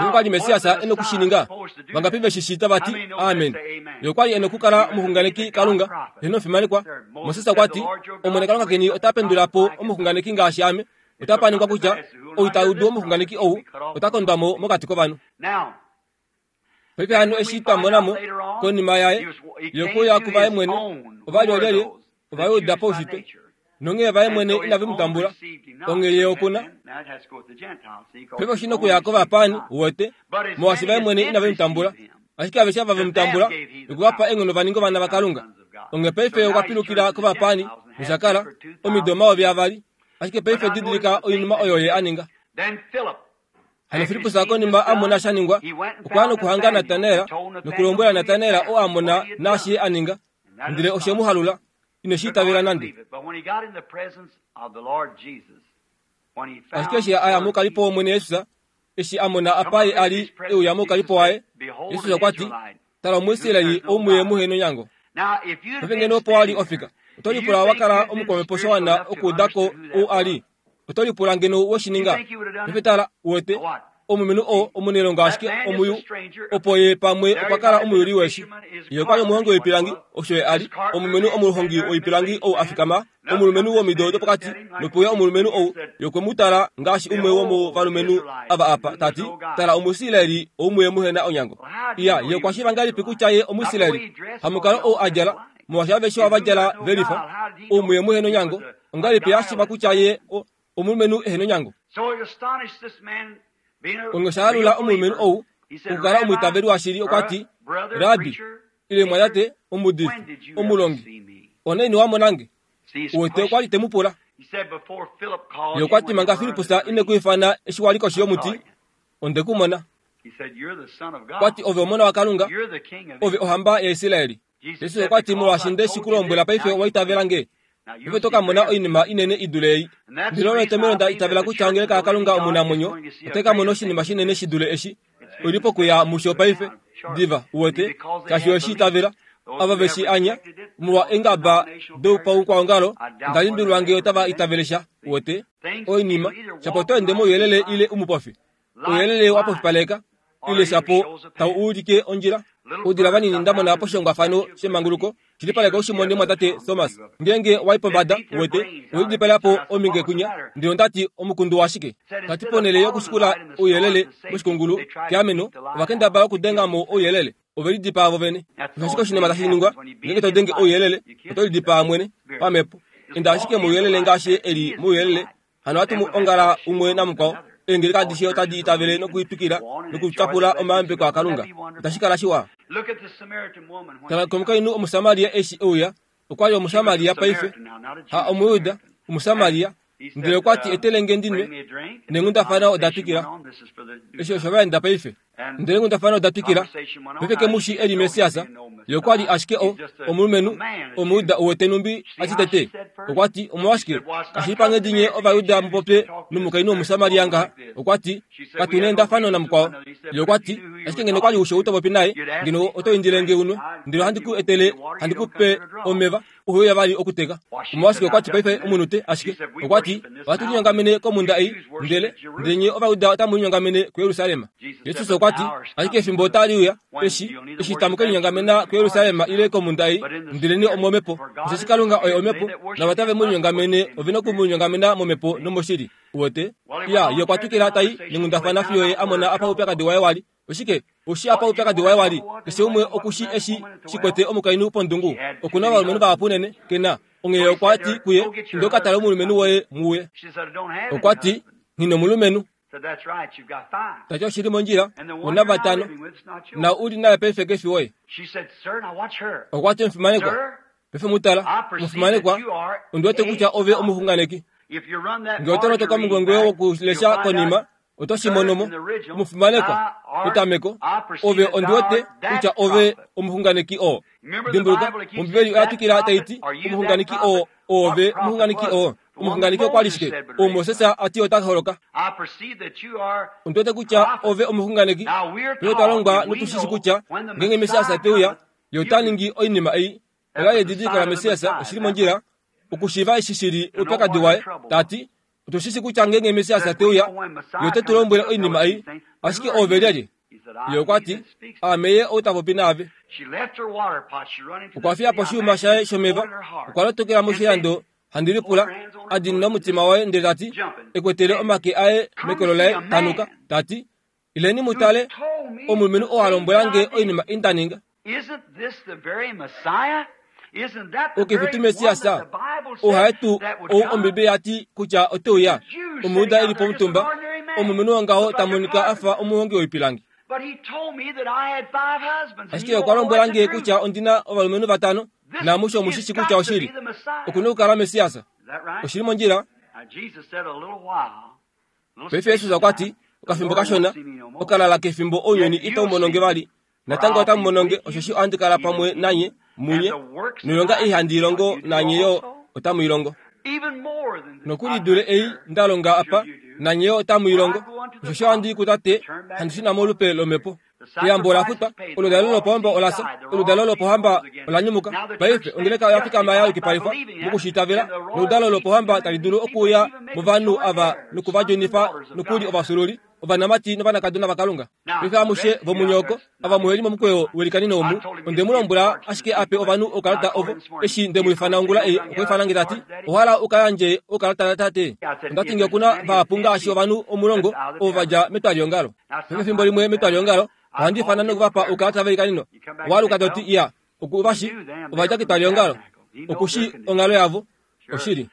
Okwa li Messias e nokushininga. Vangapi ve shi shita vati amen. Ye okwa li e nokukala omuxunganeki Kalunga, heno omufimanekwa. Moses okwa ti, Omwene Kalunga keni ota pendula po omuxunganeki ngaashi ame. Ota paningwa kutya ou ta udu omuxunganeki ou ota kondwa mo mokati kovanhu. Paife hano eshi twa mona mo konima yaye, ye okwe uya kuvaye mwene, ova li olyelye, Ovajuda paushitwe, nonghee vaye mwene inave mu tambula, onghee ye okuna. Paife oshi nokuya kovapaani, uwete, molwaashi vaye mwene inave mu tambula. Ashike aveshe ava ve mu tambula, okwe va pa eenghono va ninge ovana vaKalunga. Onghee paife okwa pilukila kovapaani, nosha kala omido omayovi avali. Ashike paife didilika oinima oyo ye a ninga. Hano Filippus konima a mona sha ningwa, okwa ya nokuhanga Natanael nokulombwela Natanael oo a mona naashi ye a ninga. Ndele oshe mu halula, ine shi itavela nande. Ashike eshi a ya moukalipo wOmwene Jesus, eshi a mona apa ye a li e uya moukalipo waye, Jesus okwa ti, tala Omuisraeli ou muye muhe nonyango. Paife ngeno opo wa li ofika, oto lipula wa kala omukwamhepo sha wana okuuda ko ou a li. Oto lipula ngeno we shi ninga. Paife tala, uwete, omulumenhu oo omunailongo ashike omuyu, opo ye pamwe okwa kala omuyuli weeshi. Ye okwa li omuhongi woipilangi, osho ye a li, omulumenhu omuhongi woipilangi ou a fikama, omulumenhu womido dopokati, nopuya omulumenhu ou, ye okwe mu tala ngaashi umwe womovalumenhu ava apa, ta ti, tala Omuisraeli ou muye muhe na onyango. Iya, ye okwa shiiva ngahelipi kutya ye Omuisraeli? Hamukalo ou a djala, molwaashi aveshe ova djala ve lifa, ou muye muhe nonyango, ongahelipi a shiiva kutya ye omulumenhu ehe nonyango? Onghee osha halula omulumenhu ou okukala omwiitaveli washili. Okwa ti, Rabbi, ile mwatate, omuudifi, omulongi, onaini wa mona nge? Uwete okwa li te mu pula. Ye okwa ti, manga Filippus ine ku ifana eshi wa li koshi yomuti, onde ku mona. Okwa ti, ove omona waKalunga, ove ohamba yaIsraeli. Jesus okwa ti, molwaashi nde shi ku lombwela paife owa itavela nge. Paife oto ka mona oinima inene i dule ei. Ndele olo etomhelo nda itavela kutya ongeleka yaKalunga omunamwenyo otai ka mona oshinima shinene shi dule eshi. Oi li pokuya musho paife, diva, uwete, shaashi oye shi itavela. Ava ve shi anya, molwa eengaba dopaukwaongalo, onda limbililwa ngee otava itavele sha, uwete. Oinima, shapo oto ende mouyelele ile umupofi. Ouyelele wa pofipaleka, ile shapo tau ulike ondjila. Oudila vanini nda mona poshihongwafano shemanguluko, shilipaleka ushimone mwatate Thomas. Ngeenge wa i pombada, uwete, owe po ominge kunya, ndele onda ti omukundu washike? Tati ponhele yokushikula ouyelele moshikungulu keameno, ova kendabala okudenga mo ouyelele, ove lidipaa vo vene. Osho ashike oshinima tashi ningwa ngeenge to denge ouyelele, oto lidipaa mwene pamhepo. Enda ashike mouyelele ngaashi e li mouyelele. Hano ohatu mu ongala umwe namukwao. Eengeleka adishe otadi itavele nokuitwikila nokutyapula omayambeko aKalunga. Otashi kala shiwa. Tala komukainhu Omusamaria eshi e uya, okwa li Omusamaria paife, ha Omuyuda, Omusamaria. Ndele okwa ti etele nge ndi nwe, neenghundafana oda twikila. Eshi osho va enda paife. Ndele ngundafano oda twikila. Paife kemushi eli Messias, ye okwa li ashike o omulumenhu Omuyuda uwete numbi ati tete. Okwa ti, omolwashike kashi li panghedi nye Ovayuda mupopye nomukainhu Omusamaria ngaha? Okwa ti, katu na endafano namukwao. Ye okwa ti, ashike ngeno kwali usho utopopi naye, ngeno oto indile nge unwe, ndele ohandi ku etele, handi ku pe omeva, uhe vali okuteka. Omolwashike okwa ti paife omunute ashike. Okwa ti, ohatu linyongamene komhunda ei, ndele ndele nye Ovayuda otamu linyongamene kuJerusalem. Jesus okwa ti, ashike efimbo otali uya, eshi eshi tamu ke linyongamena kuJerusalem ile komhunda ei, ndele nye omomhepo. Osheshi Kalunga oye omhepo, nava tave mu linyongamene ovena oku mu linyongamena momhepo nomoshili. Uwete? Ya, ye okwa twikila tai nengundafana fiyo ye a mona apa oupyakadi waye wali. Oshike? Oshi apa oupyakadi waye wali. Keshe umwe okushi eshi shikwete omukainhu pondungu. Okuna ovalumenhu vahapu unene, kena. Onghee okwa ti kuye, inda uka tale omulumenhu woye muye. Okwa ti, nghina omulumenhu. Tati oshili mondjila, una vatano, na uli naye paife kefi woye. Okwa ti omufimanekwa, paife mutala, omufimanekwa, ondi wete kutya ove omuxunganeki. Nge oto lotoka omungongwe wokulesha konima, oto shi mono mo. Omufimanekwa, petameko, ove ondi wete kutya ove omuxunganeki oo. Dimbuluka, Ombibeli oya twikila tai ti, omuxunganeki oo, ove omuxunganeki oo. Omuxunganeki okwa li shike? Ou Moses a ti ota holoka. Ondi wete kutya ove omuxunganeki. Paife twa longwa notushishi kutya ngeenge Messias te uya, ye ota ningi oinima ei. Ola yedidiliko laMessias oshili mondjila okushiiva eshi shili oupyakadi waye. Ta ti, otushishi kutya ngeenge Messias te uya, ye ote tu lombwele oinima ei. Ashike ove lyelye? Ye okwa ti, aame ye ou ta popi naave. Okwa fiya po oshiyuma shaye shomeva, okwa lotokela moshilando handi lipula, a dinina omutima waye ndele ta ti, ekwetele omake aye mekolo laye tanuka, ta ti, ileni mu tale omulumenhu oo a lombwela nge oinima ei nda ninga. Okefi tu Messias, ohaye tu ou Ombibeli ya ti kutya ote uya, Omuyuda eli pomutumba, omulumenhu wongaho ta monika a fa omuhongi woipilangi. Ashike okwa lombwela nge kutya ondina ovalumenhu vatano, naamushe omushishi kutya oshili. Okuna okukala Messias. Oshili mondjila. Paife Jesus okwa ti, okafimbo kashona, okalala kefimbo ounyuni itau mononge vali. Natango otamu mononge, osheshi ohandi kala pamwe nanye, munye, noilonga ei handi ilongo nanye yo otamu ilongo. Nokuli dule ei nda longa apa, nanye yo otamu ilongo, osheshi ohandi i kuTate, handi shuna molupe lomhepo. Eyambo ola futwa, oludalo lopohamba ola fya, oludalo lopohamba ola nyumuka. Paife ongeleka oya fikama ya yukipalifwa mokushitavela, noludalo lopohamba tali dulu okuuya movanhu ava nokuvadjunifa nokuli ovafyuululi, ovanamati novanakadona vaKalunga. Paife amushe vomunyoko, ava muheli momukweyo welikanino omu, onde mu lombwela ashike ape ovanhu oukalata ovo, eshi nde mu ifana ongula ei, okwa ifana nge tati, ohala uka yandje oukalata tate. Onda ti nge okuna vahapu ngaashi ovanhu omulongo ovo va dja metwaliongalo. Paife efimbo limwe metwaliongalo, ohandi ifana nokuvapa oukalata velikanino. Owaluka toti iya, okuvashi, ova dja ketwaliongalo. Okushi onghalo yavo, oshili.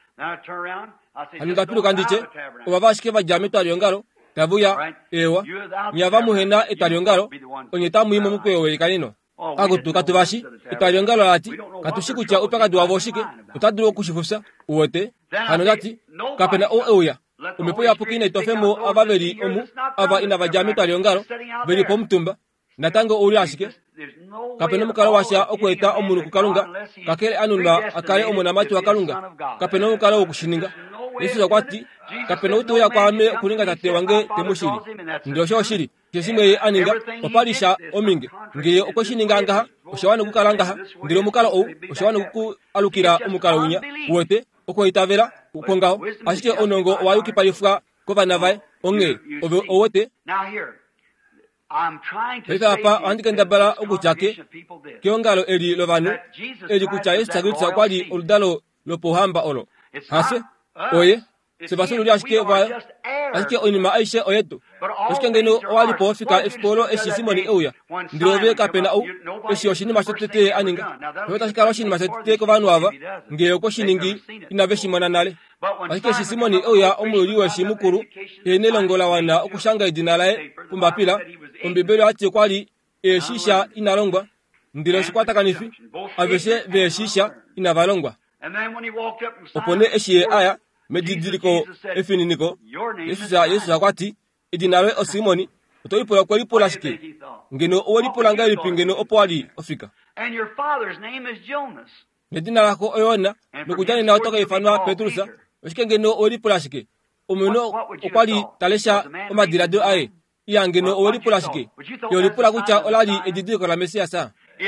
Hano ndapiluka nditye, ovava ashike va dja metwaliongalo, tave uya, ewa, nye ava muhena etwaliongalo, onye tamu i momukweyo welikanino. Akutu katuvashi, etwaliongalo lati, katushi kutya oupyakadi wavo oshike, ota dulu okushifufya, uwete. Hano ndati, kapena ou euya. Omhepo iyapuki inai tofemo ava veli omu, ava inava dja metwaliongalo, veli pomutumba. Natango ouli ashike. Kapena omukalo washa okweeta omunhu kuKalunga, kakele anunwa a kale omonamati waKalunga. Kapena omukalo wokushininga. Jesus okwa ti, kapena ou te uya kwaame okuninga tate wange te mu shili. Ndele osho oshili. Keshe shimwe ye a ninga, opa li sha ominge. Ngee okwe shi ninga ngaha, osha wana okukala ngaha. Ndele omukalo ou, osha wana oku alukila omukalo winya. Uwete, okwoitavela kwongaho. Ashike ounongo owa yukipalifwa kovana vaye. Onghee, ove ouwete. Paife apa ohandi kendabala okutya ke keongalo eli lovanhu, eli kutya Jesus Kristus okwa li oludalo lopohamba olo. Hafye, oye, se vafyuululi ashike vayo, ashike oinima aishe oyetu. Oshike ngeno owa li po fika efiku olo eshi Simoni euya, ndele ove kapena ou, eshi oshinima shotete a ninga. Paife otashi kala oshinima shotete kovanhu ava, ngee okwe shi ningi inave shi mona nale. Ashike eshi Simoni euya omuyuli weshi mukulu, ye nelongo la wana okushanga edina laye pombapila, Ombibeli oyati okwa li eeshisha ina longwa, ndele oshikwatakanifi, aveshe veeshisha inava longwa. Opo nee eshi ye aya medidiliko efininiko, Jesus Jesus okwa ti, edina loye oSimoni, Oto lipula okwe lipula shike? Ngeno owe lipula ngahelipi ngeno opo wa li ofika? And your father's name is Jonas. Nedina lako oYona, nokudja nena oto ka ifanwa Petrus. Oshike ngeno owe lipula shike? Omunhu okwa li ta lesha omadiladilo aye. Iya ngeno owe lipula shike? Ye lipula kutya ola li edidiliko laMessias.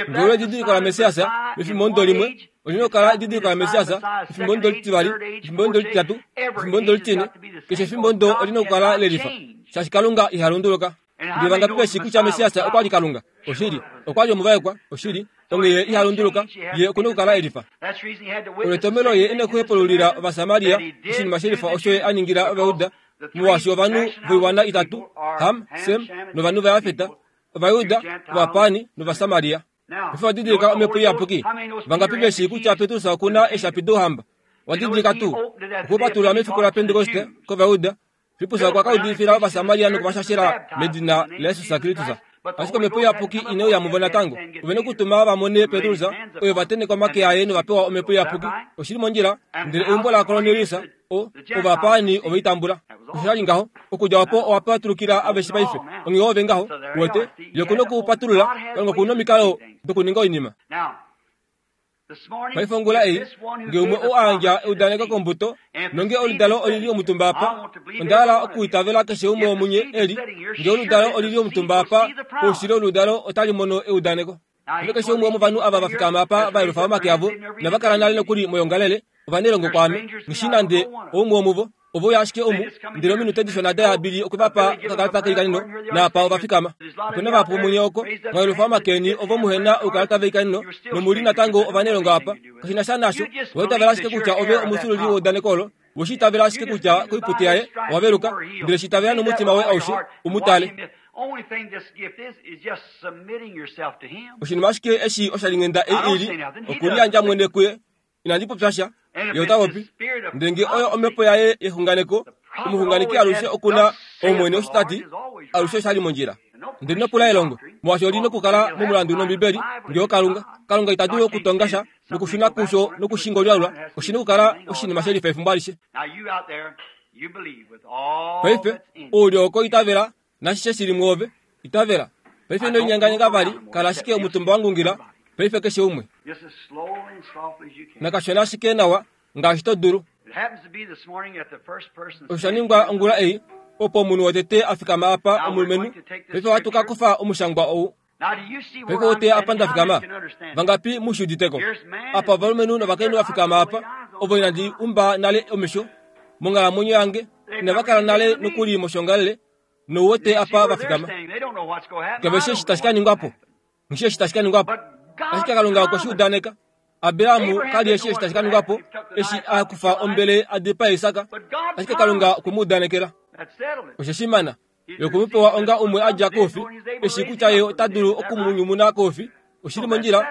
Ngeno edidiliko laMessias mefimbo limwe, olina okukala edidiliko laMessias mefimbo litivali, mefimbo lititatu, mefimbo litine. Keshe efimbo olina okukala lelifa, shaashi Kalunga iha lunduluka. Ndele vangapi veshi kutya Messias okwa li Kalunga? Oshili, okwa li omuvaekwa, oshili. Onghee ye iha lunduluka, ye okuna okukala elifa. That's the reason he had to witness Oletomelo ye ine kuhepululila Ovasamaria oshinima shelifa osho ye a ningila Ovayuda, molwaashi ovanhu voiwana itatu, Ham, Sem novanhu vaJafet, Ovayuda, Ovapaani nOvasamaria. Efi wadidilika omhepo iyapuki. Vangapi veshi kutya Petrus okuna eeshapi douhamba? Wadidilika tuu okupatulula mefiku laPentekoste kOvayuda. Filippus okwa ka udifila Ovasamaria nokuvashashela medina laJesus Kristus. Ashike omhepo iyapuki ine uya muvo natango. Ove nokutuma va mone Petrus, oyo va tenheka omake aye nova pewa omhepo iyapuki. Oshili mondjila, ndele eumbo laKornelius, o ovapaani ove i tambula. Osho sha li ngaho, okudja opo owa patulukila aveshe paife. Onghee ove ngaho, uwete, ye okuna okupatulula, Kalunga okuna omikalo dokuninga oinima. Now, this morning, Paife ongula ei, this one who nge umwe gave the oo a yandja promise to eudaneko the kombuto, seed, nonge oludalo olili omutumba apa, onda hala okuitavela keshe umwe womunye eli, nge oludalo olili omutumba apa, oushili oludalo otali mono eudaneko. Ndele keshe umwe womovanhu ava va fikama apa va yelufa omake avo, nava kala nale nokuli moyongalele, ovanelongo kwaame, nghi nande oumwe womuvo, ovo uya ashike omu, ndele ominute dishona da yabili okwe va pa okakalata keikanino, naapa ova fikama. Opena vahapu munye oko, mwa yelufa omake eni ovo muhena oukalata veikanino, nomuli natango ovanelongo apa. Kashi na sha nasho, owa itavela ashike kutya ove omufyuululi weudaneko olo, we shi itavela ashike kutya koipute yaye owa veluka, ndele shi itavela nomutima woye aushe, u mu tale. Only thing this gift is, is just submitting yourself to him. Oshinima ashike eshi oshalinghenda ei ili, okuliyandja mwene kuye. Inandi popya sha, ye ota popi. Ndele nge oyo omhepo yaye yexunganeko, omuxunganeki alushe okuna Omwene osho ta ti, alushe oshali mondjila. Ndele nopula elongo, molwaashi oli nokukala momulandu nOmbibeli, nge oKalunga. Kalunga ita dulu okutonga sha nokushuna kusho nokushingolyaulwa, oshina okukala oshinima shelifa efimbo alishe. Now you out there, you believe with all Paife, that's in you. ouli oko itavela, nashishe shili mwoove, itavela. Paife ino linyanganyanga vali, kala ashike omutumba wa ngungila, paife keshe umwe. Just as slowly and softly as you can. Nakashona ashike nawa, ngaashi to dulu. It happens to be this morning that the first person Osha ningwa ongula ei, opo omunhu wotete a fikama apa omulumenhu, paife ohatu ka kufa omushangwa ou. Now do you see where Paife I'm ote apa standing? nda How fikama. many can understand? Vangapi mushi uditeko? Apa ovalumenhu novakainhu va fikama apa, ovo inandi umba nale omesho, monghalamwenyo yange, inava kala nale nokuli moshongalele, nouwete You see apa where va they're fikama. standing. They don't know what's going to happen. Kave I shi don't eshi know tashi ka what's ningwa gonna po. happen. Nghi eshi tashi ka ningwa po. But God Ashike Kalunga okwe shi promised. udaneka. Abrahamu ka li eshi eshi tashi ka ningwa po, eshi a kufa ombele a dipaa Isaka. But God Ashike Kalunga promised. okwe mu udanekela. That settled it. Oshe shimana, ye okwe mu pewa onga umwe a dja koufi, eshi kutya ye ota dulu okumunyumuna koufi, oshili mondjila,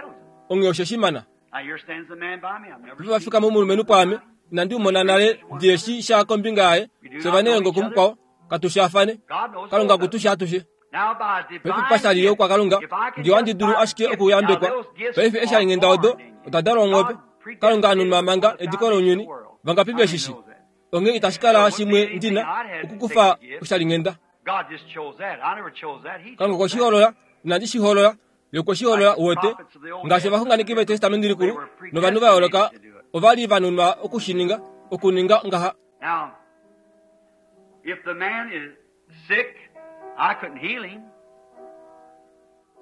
onghee oshe shimana. Now here stands the man by me. I've never Paife va seen fikama omulumenhu pwaame, inandi mu mona nale, ndi eshi sha kombinga yaye, fye ovanelongo kumukwao, katu shaafane. God knows Kalunga both of okutu us. sha atushe. Now by Paife divine pashali gift, yokwa Kalunga, if I can nge ohandi just dulu by ashike gift, okuyambekwa. now those gifts Paife are eeshalinghenda odo, born in you. oda dalwa mwoove. God Kalunga anunwa predestinated manga before the ediko foundation of lounyuni, the world. vangapi How many veshishi. knows that? Onghee itashi So it kala wouldn't be shimwe anything ndina I'd had to take okukufa the gift. oshalinghenda. God just chose that. I never chose that. He Kalunga chose okwe shi that. hoolola, inandi shi hoolola, ye okwe shi hoolola Like the uwete. prophets of the Old Ngaashi Testament, ovaxunganeki vetestamenti they likulu, were novanhu va yooloka, predestinated to do it. ova li va nunwa okushininga, okuninga ngaha. Now, if the man is sick, I couldn't heal him.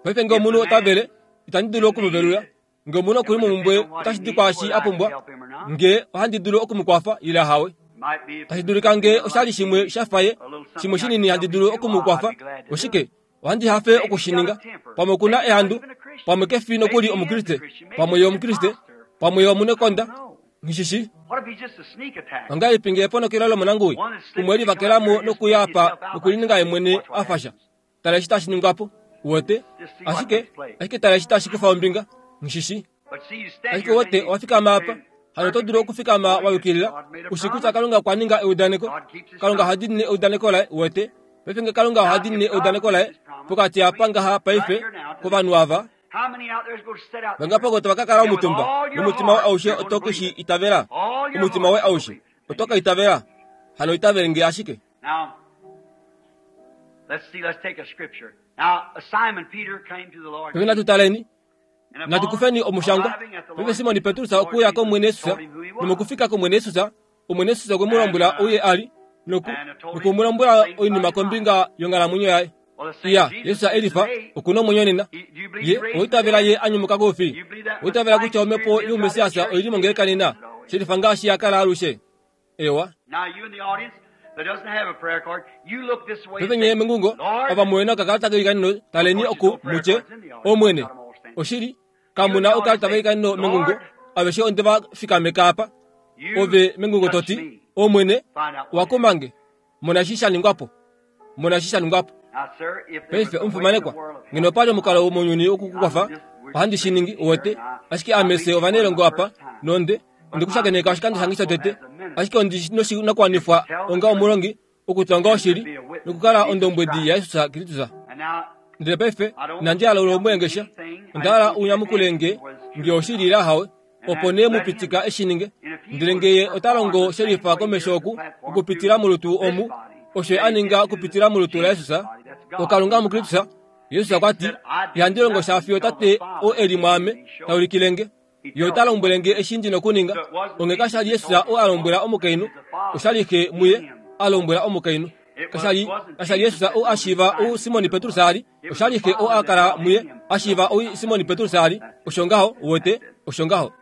Paife nge If the omunhu ota man vele, itandi dulu is oku mu velula. need, Nge omunhu it okuli would momumbwe, depend on what he otashi di needs, kwaashi whether a I could pumbwa, help him or not. nge ohandi dulu oku mu kwafa ile hawe. Might be if Tashi it was dulika nge something oshali like shimwe me, sha fa ye, a little shimwe something I shinini could handi help him dulu do, oku mu I'd kwafa, be glad to do oshike, it. ohandi hafe Maybe he's got a okushininga. temper. Pamwe okuna Maybe he's not ehandu, even a Christian. pamwe kefi Maybe nokuli he is a omukriste, Christian. Maybe pamwe he's ye an omukriste, imposter. pamwe ye I omunekonda, don't know. nghishishi. What if he's just a sneak attack? Ongahelipi nge eponokelo lomonanguwi, One that slips umwe in and come livakela up here mo and just makes nokuya apa himself out like nokulininga ye something. mwene Watch what a fasha. happens. Tala eshi tashi ningwa po, uwete, Just see what ashike, takes place. ashike tala eshi tashi kufa ombinga, nghishishi. But see, you stand Ashike here and wote then you owa fikama apa, stand hano oto dulu perfectly okufikama wa holy as yukilila, God made a ushi kutya promise. Kalunga okwa ninga eudaneko, God keeps his Kalunga oha promise. diinine eudaneko laye, uwete. Paife nge Kalunga oha Now, diinine if God eudaneko keeps laye, his promise pokati apa between ngaha right paife, here now to this kovanhu ava, people, how many out there is going to sit out vangapo there ko tava ka kala and with omutumba, all your nomutima woye heart aushe you're going to oto ke believe shi it? itavela, All your omutima heart woye you're going to aushe believe it. oto And ka you itavela, hano itavele nge ashike. now Peve tutaleni natukufeni omushangwa. Peve Simoni Petrus okuya komwene Yesus nomokufika komwene Yesus, omwene Yesus okwe mu lombwela ouye ali noku nokumulombola oinima kombinga yonghalamwenyo yaye. Iya, Yesus elifa okuna omwenyo nena. Ye oitavela ye anyumuka koufi. Oitavela kutya omhepo youMesiasa oili mongeleka nena, shelifa ngaashi yakala alushe. Ewa. Peve nye mengungo ava muwena okakalata keikanino taleni oku mutye omwene. Oshili kamuna okakalata keikanino mengungo aveshe onde va fikameka apa. Ove mengungo toti omwene wakumange mona shi shaningwapo. Mona shi shaningwapo. Paife omufimanekwa ngeno pali omukalo womounyuni okukukwafa ohandi shi ningi uwete ashike amese ovanelongo apa nonde ondikushakeneka oshikando shange shotete ashike ondi noshinakuwanifwa onga omulongi okutonga oshili nokukala ondombwedi yaJesus Kristus. Ndele paife inandi hala ulomwengesha onda hala unyamukulenge nge oshili ila hawe opo nee mupitika eshininge. Ndele ngeye ota longo shelifa komesho oku okupitila molutu omu osho aninga okupitila molutu laJesus okalunga muKristus. Jesus okwati ihandi longo shafiyo tate o eli mwaame taulikilenge ye ota lombwelenge eshi ndi nokuninga. Onge kashali Jesus o alombwela omukainhu oshali xe muye alombwela omukainhu. Kashali kashali Jesus o ashiva o Simoni Petrus ali oshali xe o akala muye ashiva o Simoni Petrus ali osho ngaho wote osho ngaho.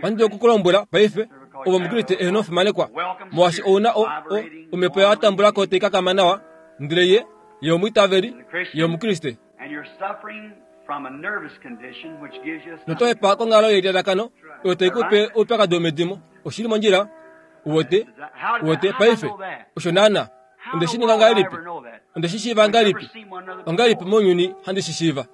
Ohandi okukulombwela paife ovo Omukriste eheno ofimanekwa molwaashi ouna o o omhepo yatambulako taikakama nawa ndele ye ye omwiitaveli ye Omukriste. Notohepa konghalo yelilalakano oyo taikupe oupyakadi womedimo. Oshili mondjila uwete uwete paife osho naana onde shi ninga ngahelipi onde shi shiiva ngahelipi ongahelipi mounyuni handi shi shiiva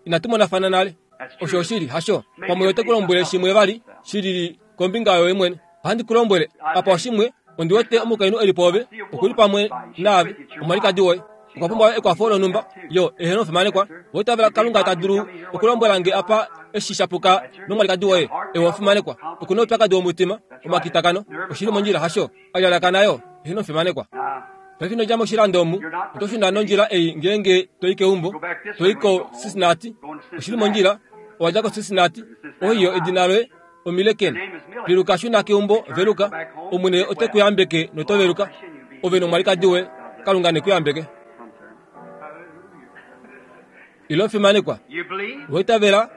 inatu monafana nale. Osho oshili hasho pamwe ote kulombwele shimwe vali shilili kombinga yoye mwene. Ohandi kulombwele apa oshimwe ondi wete omukainhu eli poove okuli pamwe naave omwalikadi woye okwa pumbwa ekwafo lonhumba yo eheno ofimanekwa. Oitavela Kalunga ta dulu okulombwela nge apa eshi shapuka nomwalikadi woye ewe ofimanekwa okuna oupyakadi womutima omakitakano oshili mondjila hasho alyalakana yo eheno ofimanekwa. Paife ino dja moshilando omu oto shuna nondjila ei ngeenge toi keumbo toi ko Cincinnati oshili mondjila owadja ko Cincinnati oiyo edina loye Omileken piluka shuna keumbo veluka omwene ote kuyambeke noto veluka ove nomwalikadi woye Kalunga nekuyambeke. Ilo ofimanekwa oitavela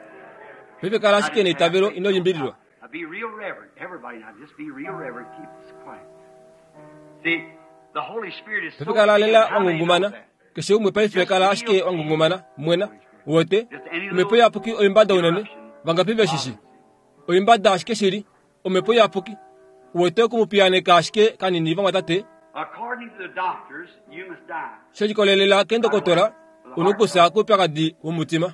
paife kala ashike neitavelo ino limbililwa. Paife kala lela wangungumana keshe umwe paife kala ashike wangungumana mwena uwete omhepo iyapuki oimbada unene vangapi veshishi oimbada ashike shili omhepo iyapuki uwete okumupiyaneka ashike kanini vamwatate. Shelikolelela kendokotola unokusa koupyakadi womutima.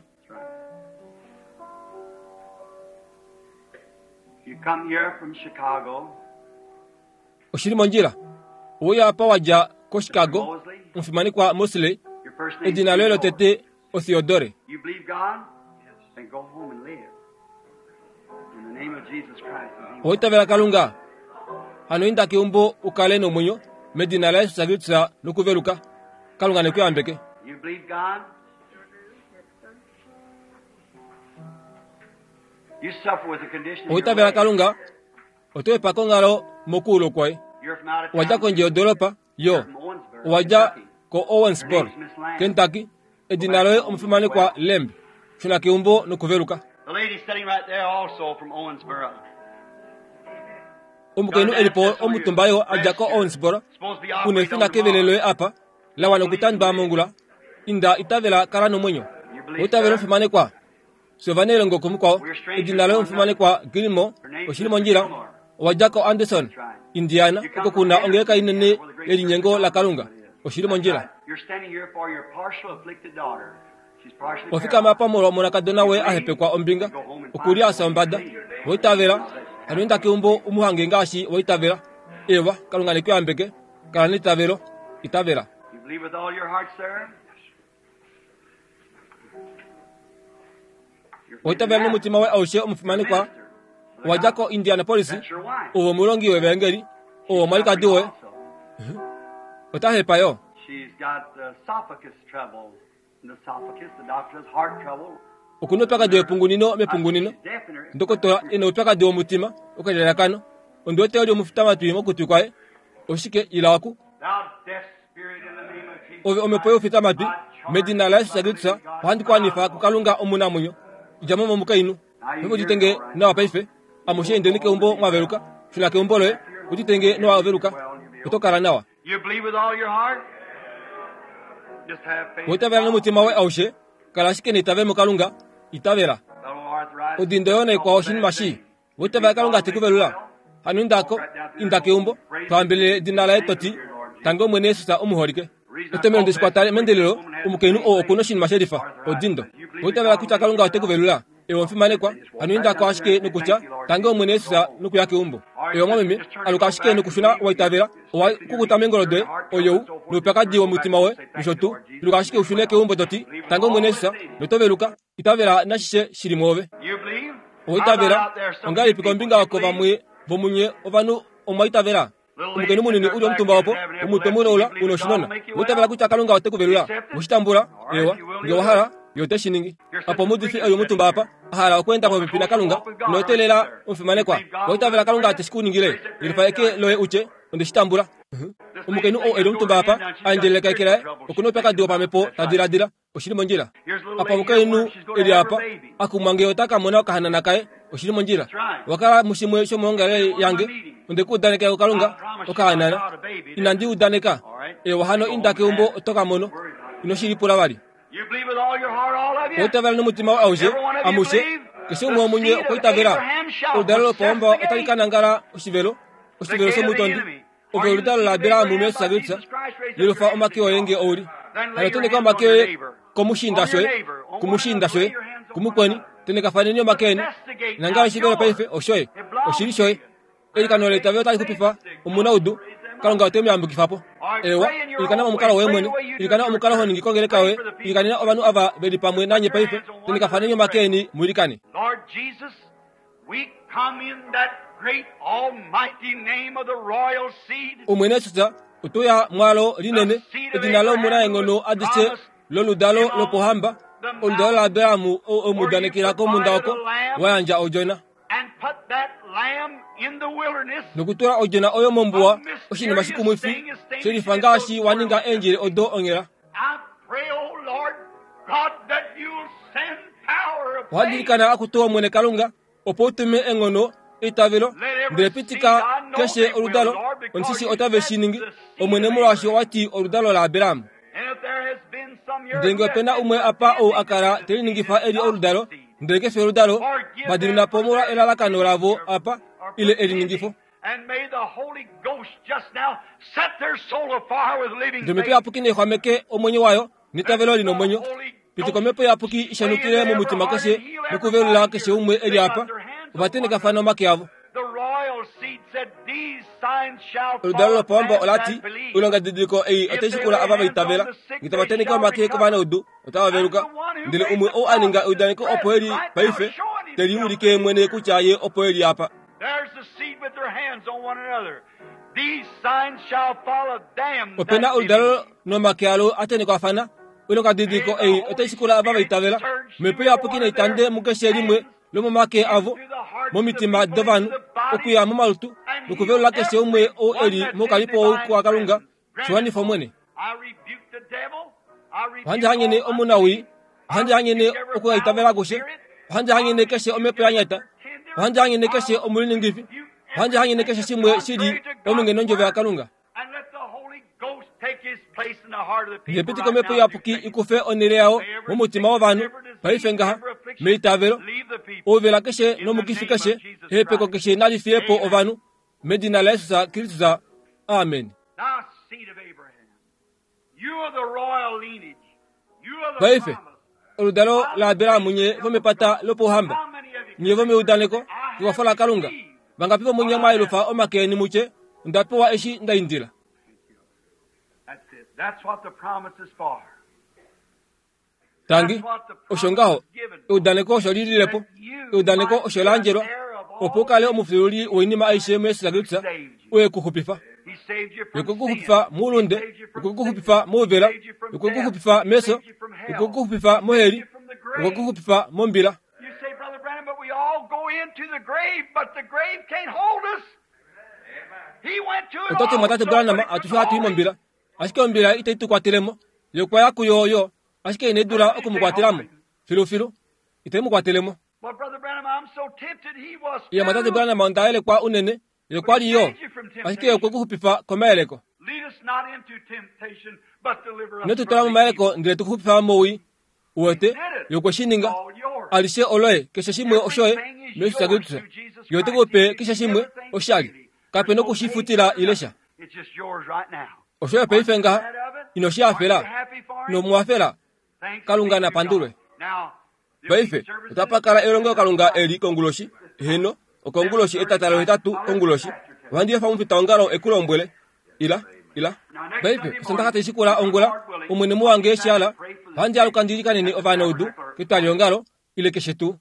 Oshili mondjila ouya apa wadja ko Chicago omufimanekwa Mosley edina loye lotete oTheodore. Oitavela Kalunga hano inda keumbo ukale nomwenyo medina laJesus Kristus nokuveluka. Kalunga nekuyambeke. Oitavela Kalunga otoepa konghalo mokuulo kwaye. Owadja kondje yodoropa yo owadja ko Owensboro Kentucky edina loye omufimanekwa Lemb shuna keumbo nokuveluka. Omukainhu elipo omutumba yo adja ko Owensboro kuna efina kevele loye apa lawana okutandwa mongula inda itavela kala nomwenyo. Oitavela omufimanekwa Sovanelongo komukwao edina loye omufimanekwa Gilmore oshili mondjila owadja ko Anderson Indiana oko kuna ongeleka inene yelinyengo la Kalunga oshili mondjila. Ofikama apa molwa omonakadona woye ahepekwa ombinga okuli asa ombada oitavela hano inda keumbo umuhange ngaashi oitavela. Ewa Kalunga nekuyambeke kala neitavelo itavela. Oitavela nomutima woye aushe omufimanekwa owadja ko Indianapolis owo omulongi wevangeli owo omwalikadi woye otahepa yo. She's got esophagus trouble. In the esophagus, the doctor has heart trouble. Okuna oupyakadi wepungunino mepungunino. She's deaf in her. Ndokotola ena oupyakadi womutima okalelakano. Ondi wete oli omufitamatwi mokutwi kwaye. Oshike ila oku. Thou deaf spirit, in the name of Jesus Ove omhepo youfitamatwi medina laYesus Kristus ohandi ku anifa kuKalunga omunamwenyo. Dja mo momukainhu. Uditenge nawa paife. Amushe indeni keumbo mwaveluka. Shuna keumbo loye. Uditenge nowa veluka. Oto kala nawa. You believe with all your heart? Just have faith. Oitavela nomutima woye aushe. Kala ashike neitavelo muKalunga. Itavela. That old arthritis. Odindo yo naikwao oshinima shii. Oitavela Kalunga te ku velula. Hano indako, inda keumbo, twahambelele edina laye toti, tange Omwene Yesus omuholike. Etomhelo nde shikwata mendelelo, omukainhu oo okuna oshinima shelifa, odindo. Oitavela kutya Kalunga ote ku velula. Ewe omufimanekwa, hano indako ashike nokutya, tange Omwene Yesus nokuya keumbo. Ewe mwameme, aluka ashike nokushuna waitavela, owa kukuta meengolo doye, oyou, noupyakadi womutima woye, nosho tuu, aluka ashike ushune keumbo toti, tange Omwene Yesus, noto veluka, itavela nashishe shili mwoove. You believe? Oitavela, ongahelipi kombinga oko vamwe vomunye ovanhu omwaitavela? Omukainhu munini uli omutumba opo, omutwe muleula una oshinona. Oitavela kutya Kalunga ote ku velula. Oshitambula, ewa, nge owa hala, ye ote shi ningi. Apo omuudifi eli omutumba apa, a hala okweenda popepi naKalunga, noteelela omufimanekwa. Oitavela Kalunga te shi ku ningile. Yelifa eke loye utye, onde shi tambula. Omukainhu oo eli omutumba apa, a endjeleleka eke laye, okuna oupyakadi wopamhepo ta diladila, oshili mondjila. Apa omukainhu eli apa, akumwa nge ota ka mona okahanana kaye, oshili mondjila. Wakala mushimwe shomohongelele yange, onde ku udanekela kuKalunga, okahanana. Inandi udaneka. Ewa hano inda keumbo oto ka mono. Ino shi lipula vali. You believe with all your heart, all of you? Oitavela nomutima woye aushe, amushe, keshe umwe womunye okwa itavela. Oludalo lopohamba otali ka nangala oshivelo, oshivelo shomutondi. Ove oludalo laAbraham muYesus Kristus, yelufa omake oye nge ouli. Hano teneka omake oye komushiinda shoye, kumushiinda shoye, kumukweni, tenekafaneni omake eni. Nangala oshivelo paife oshoye, oshili shoye. Eilikano leitavelo otali xupifa omunaudu, Kalunga ote mu yambukifa po. Ewa, ilikana omukalo woye mwene, ilikana omukalo ho ningi kongeleka yoye, ilikanena ovanhu ava veli pamwe nanye paife, tenekafaneni omake eni muilikane. Lord Jesus, we come in that great almighty name of the royal seed. Omwene Yesus, otoya mwalo linene, edina lomunaenghono adishe loludalo lopohamba, oludalo laAbraham oo omuudanekela komunda oko, wa yandja odjona. And put that lamb in the wilderness. Nokutula odjona oyo mombuwa, oshinima shikumwifi, shelifa ngaashi wa ninga eendjele odo onghela. I pray, O Lord God, that you'll send power of faith. Ohandi akutu Omwene Kalunga, opo utume enghono eitavelo, ndele pitika keshe oludalo, onishishi otave shi ningi, Omwene molwaashi owati oludalo laAbraham. And if there has been some here Ndele nge who has opena been umwe apa ou a kala te liningifa eli oludalo, ndele kefi oludalo, va dimina po molwa elalakano lavo apa, ile eliningifo. And may the Holy Ghost just now set their soul afire with living Ndele omhepo faith. iyapuki nexwameke omwenyo wayo, neitavelo lina omwenyo. Pitika omhepo iyapuki ishanukile momutima keshe nokuvelula keshe umwe eli apa, ova tenekafana omake avo. The royal seed said, These signs shall Oludalo follow lopohamba them olati, that believe. oilongadidiliko ei otai shikula ava va itavela. Nge tava teneke omake kovanaudu, otava veluka. Ndele umwe ou a ninga eudaneko opo eli paife, te liulike mwene kutya ye opo eli apa. There's the seed with their hands on one another. These signs shall follow them that Opena oludalo believe. nomake alo a tenekwafana. Oilongadidiliko ei otai shikula ava va itavela. Omhepo iyapuki naitande mukeshe limwe lomomake avo, momitima dovanhu, okuya momalutu, nokuvelula keshe umwe ou eli moukalipo wouku waKalunga, shiwanifa Omwene. I rebuke the devil. I rebuke Ohandi hanyene all omunawii, ohandi hanyene okuhaitavela kushe, ohandi hanyene keshe omhepo ya nyata, ohandi hanyene keshe omuliningifi, ohandi hanyene keshe shimwe shili ominge nondjovo yaKalunga. And let the Holy Ghost take his place in the heart of the people Ndele pitika right omhepo now iyapuki through faith. ikufe onhele yawo momutima wovanhu, paife ngaha, meitavelo, Leave the people. ouvela keshe nomukifi keshe, ehepeko keshe nali fiye po ovanhu, medina laYesus Kristus. Amen. Thou seed of Abraham, you are the royal lineage. You are the Paife, promise. oludalo laAbraham nye vomepata lopouhamba, How many of you nye vomeudaneko, I have kekwafo laKalunga. received? Vangapi vomunye mwaelufa omake eni mutye, onda pewa eshi nda indila. That's it. That's what the promise is for. Tangi, osho ngaho, eudaneko osho lililepo, eudaneko osho la andjelwa, opo u kale omufyuululi woinima aishe muYesus Kristus, oye ku xupifa. He Okwe ku xupifa moulunde, okwe ku xupifa mouvela, okwe ku xupifa mefyo, okwe ku xupifa moheli, okwe ku xupifa mombila. You say, Brother Branham, but we all go into the grave, but the grave can't hold us. He went to it Ototi mwatate also, Branham but it atushe couldn't hatu i hold him. mombila. Ashike ombila itai tu kwatelemo. Ye okwa ya kuyo yo, ashike ine dula okumukwatelamo. Filufilu, itai mu kwatelemo. But Brother Branham, I'm so tempted. He was Iye mwatate too. Branham onda yelekwa unene, ye okwa li yo, ashike okwe ku xupifa komayeleko. Lead us not into temptation, but deliver us Ino tu from tula the momayeleko evil. ndele tu xupifa mowii. Uwete, ye okwe shi ninga. Alishe oloye, keshe shimwe oshoye, mesu Kristus. Ye ote ku pe keshe shimwe oshali. Kape nokushifutila ile sha. It's just yours right now. Oshoye paife ngaha, ino shi hafela, ino mu hafela. Thanks Kalunga be to napandulwe. God. Now, there'll be Paife, services otapa elongo Kalunga eli konguloshi, heno, okonguloshi etatalo hetatu konguloshi. Ohandi efa omufitaongalo ekulombwele. Ila, ila. Paife, osandaka taishikula ongula, omwene muwange eshiala, ohandi aluka ndilikanene ovanaudu, ketwaliongalo, ile keshe tuu.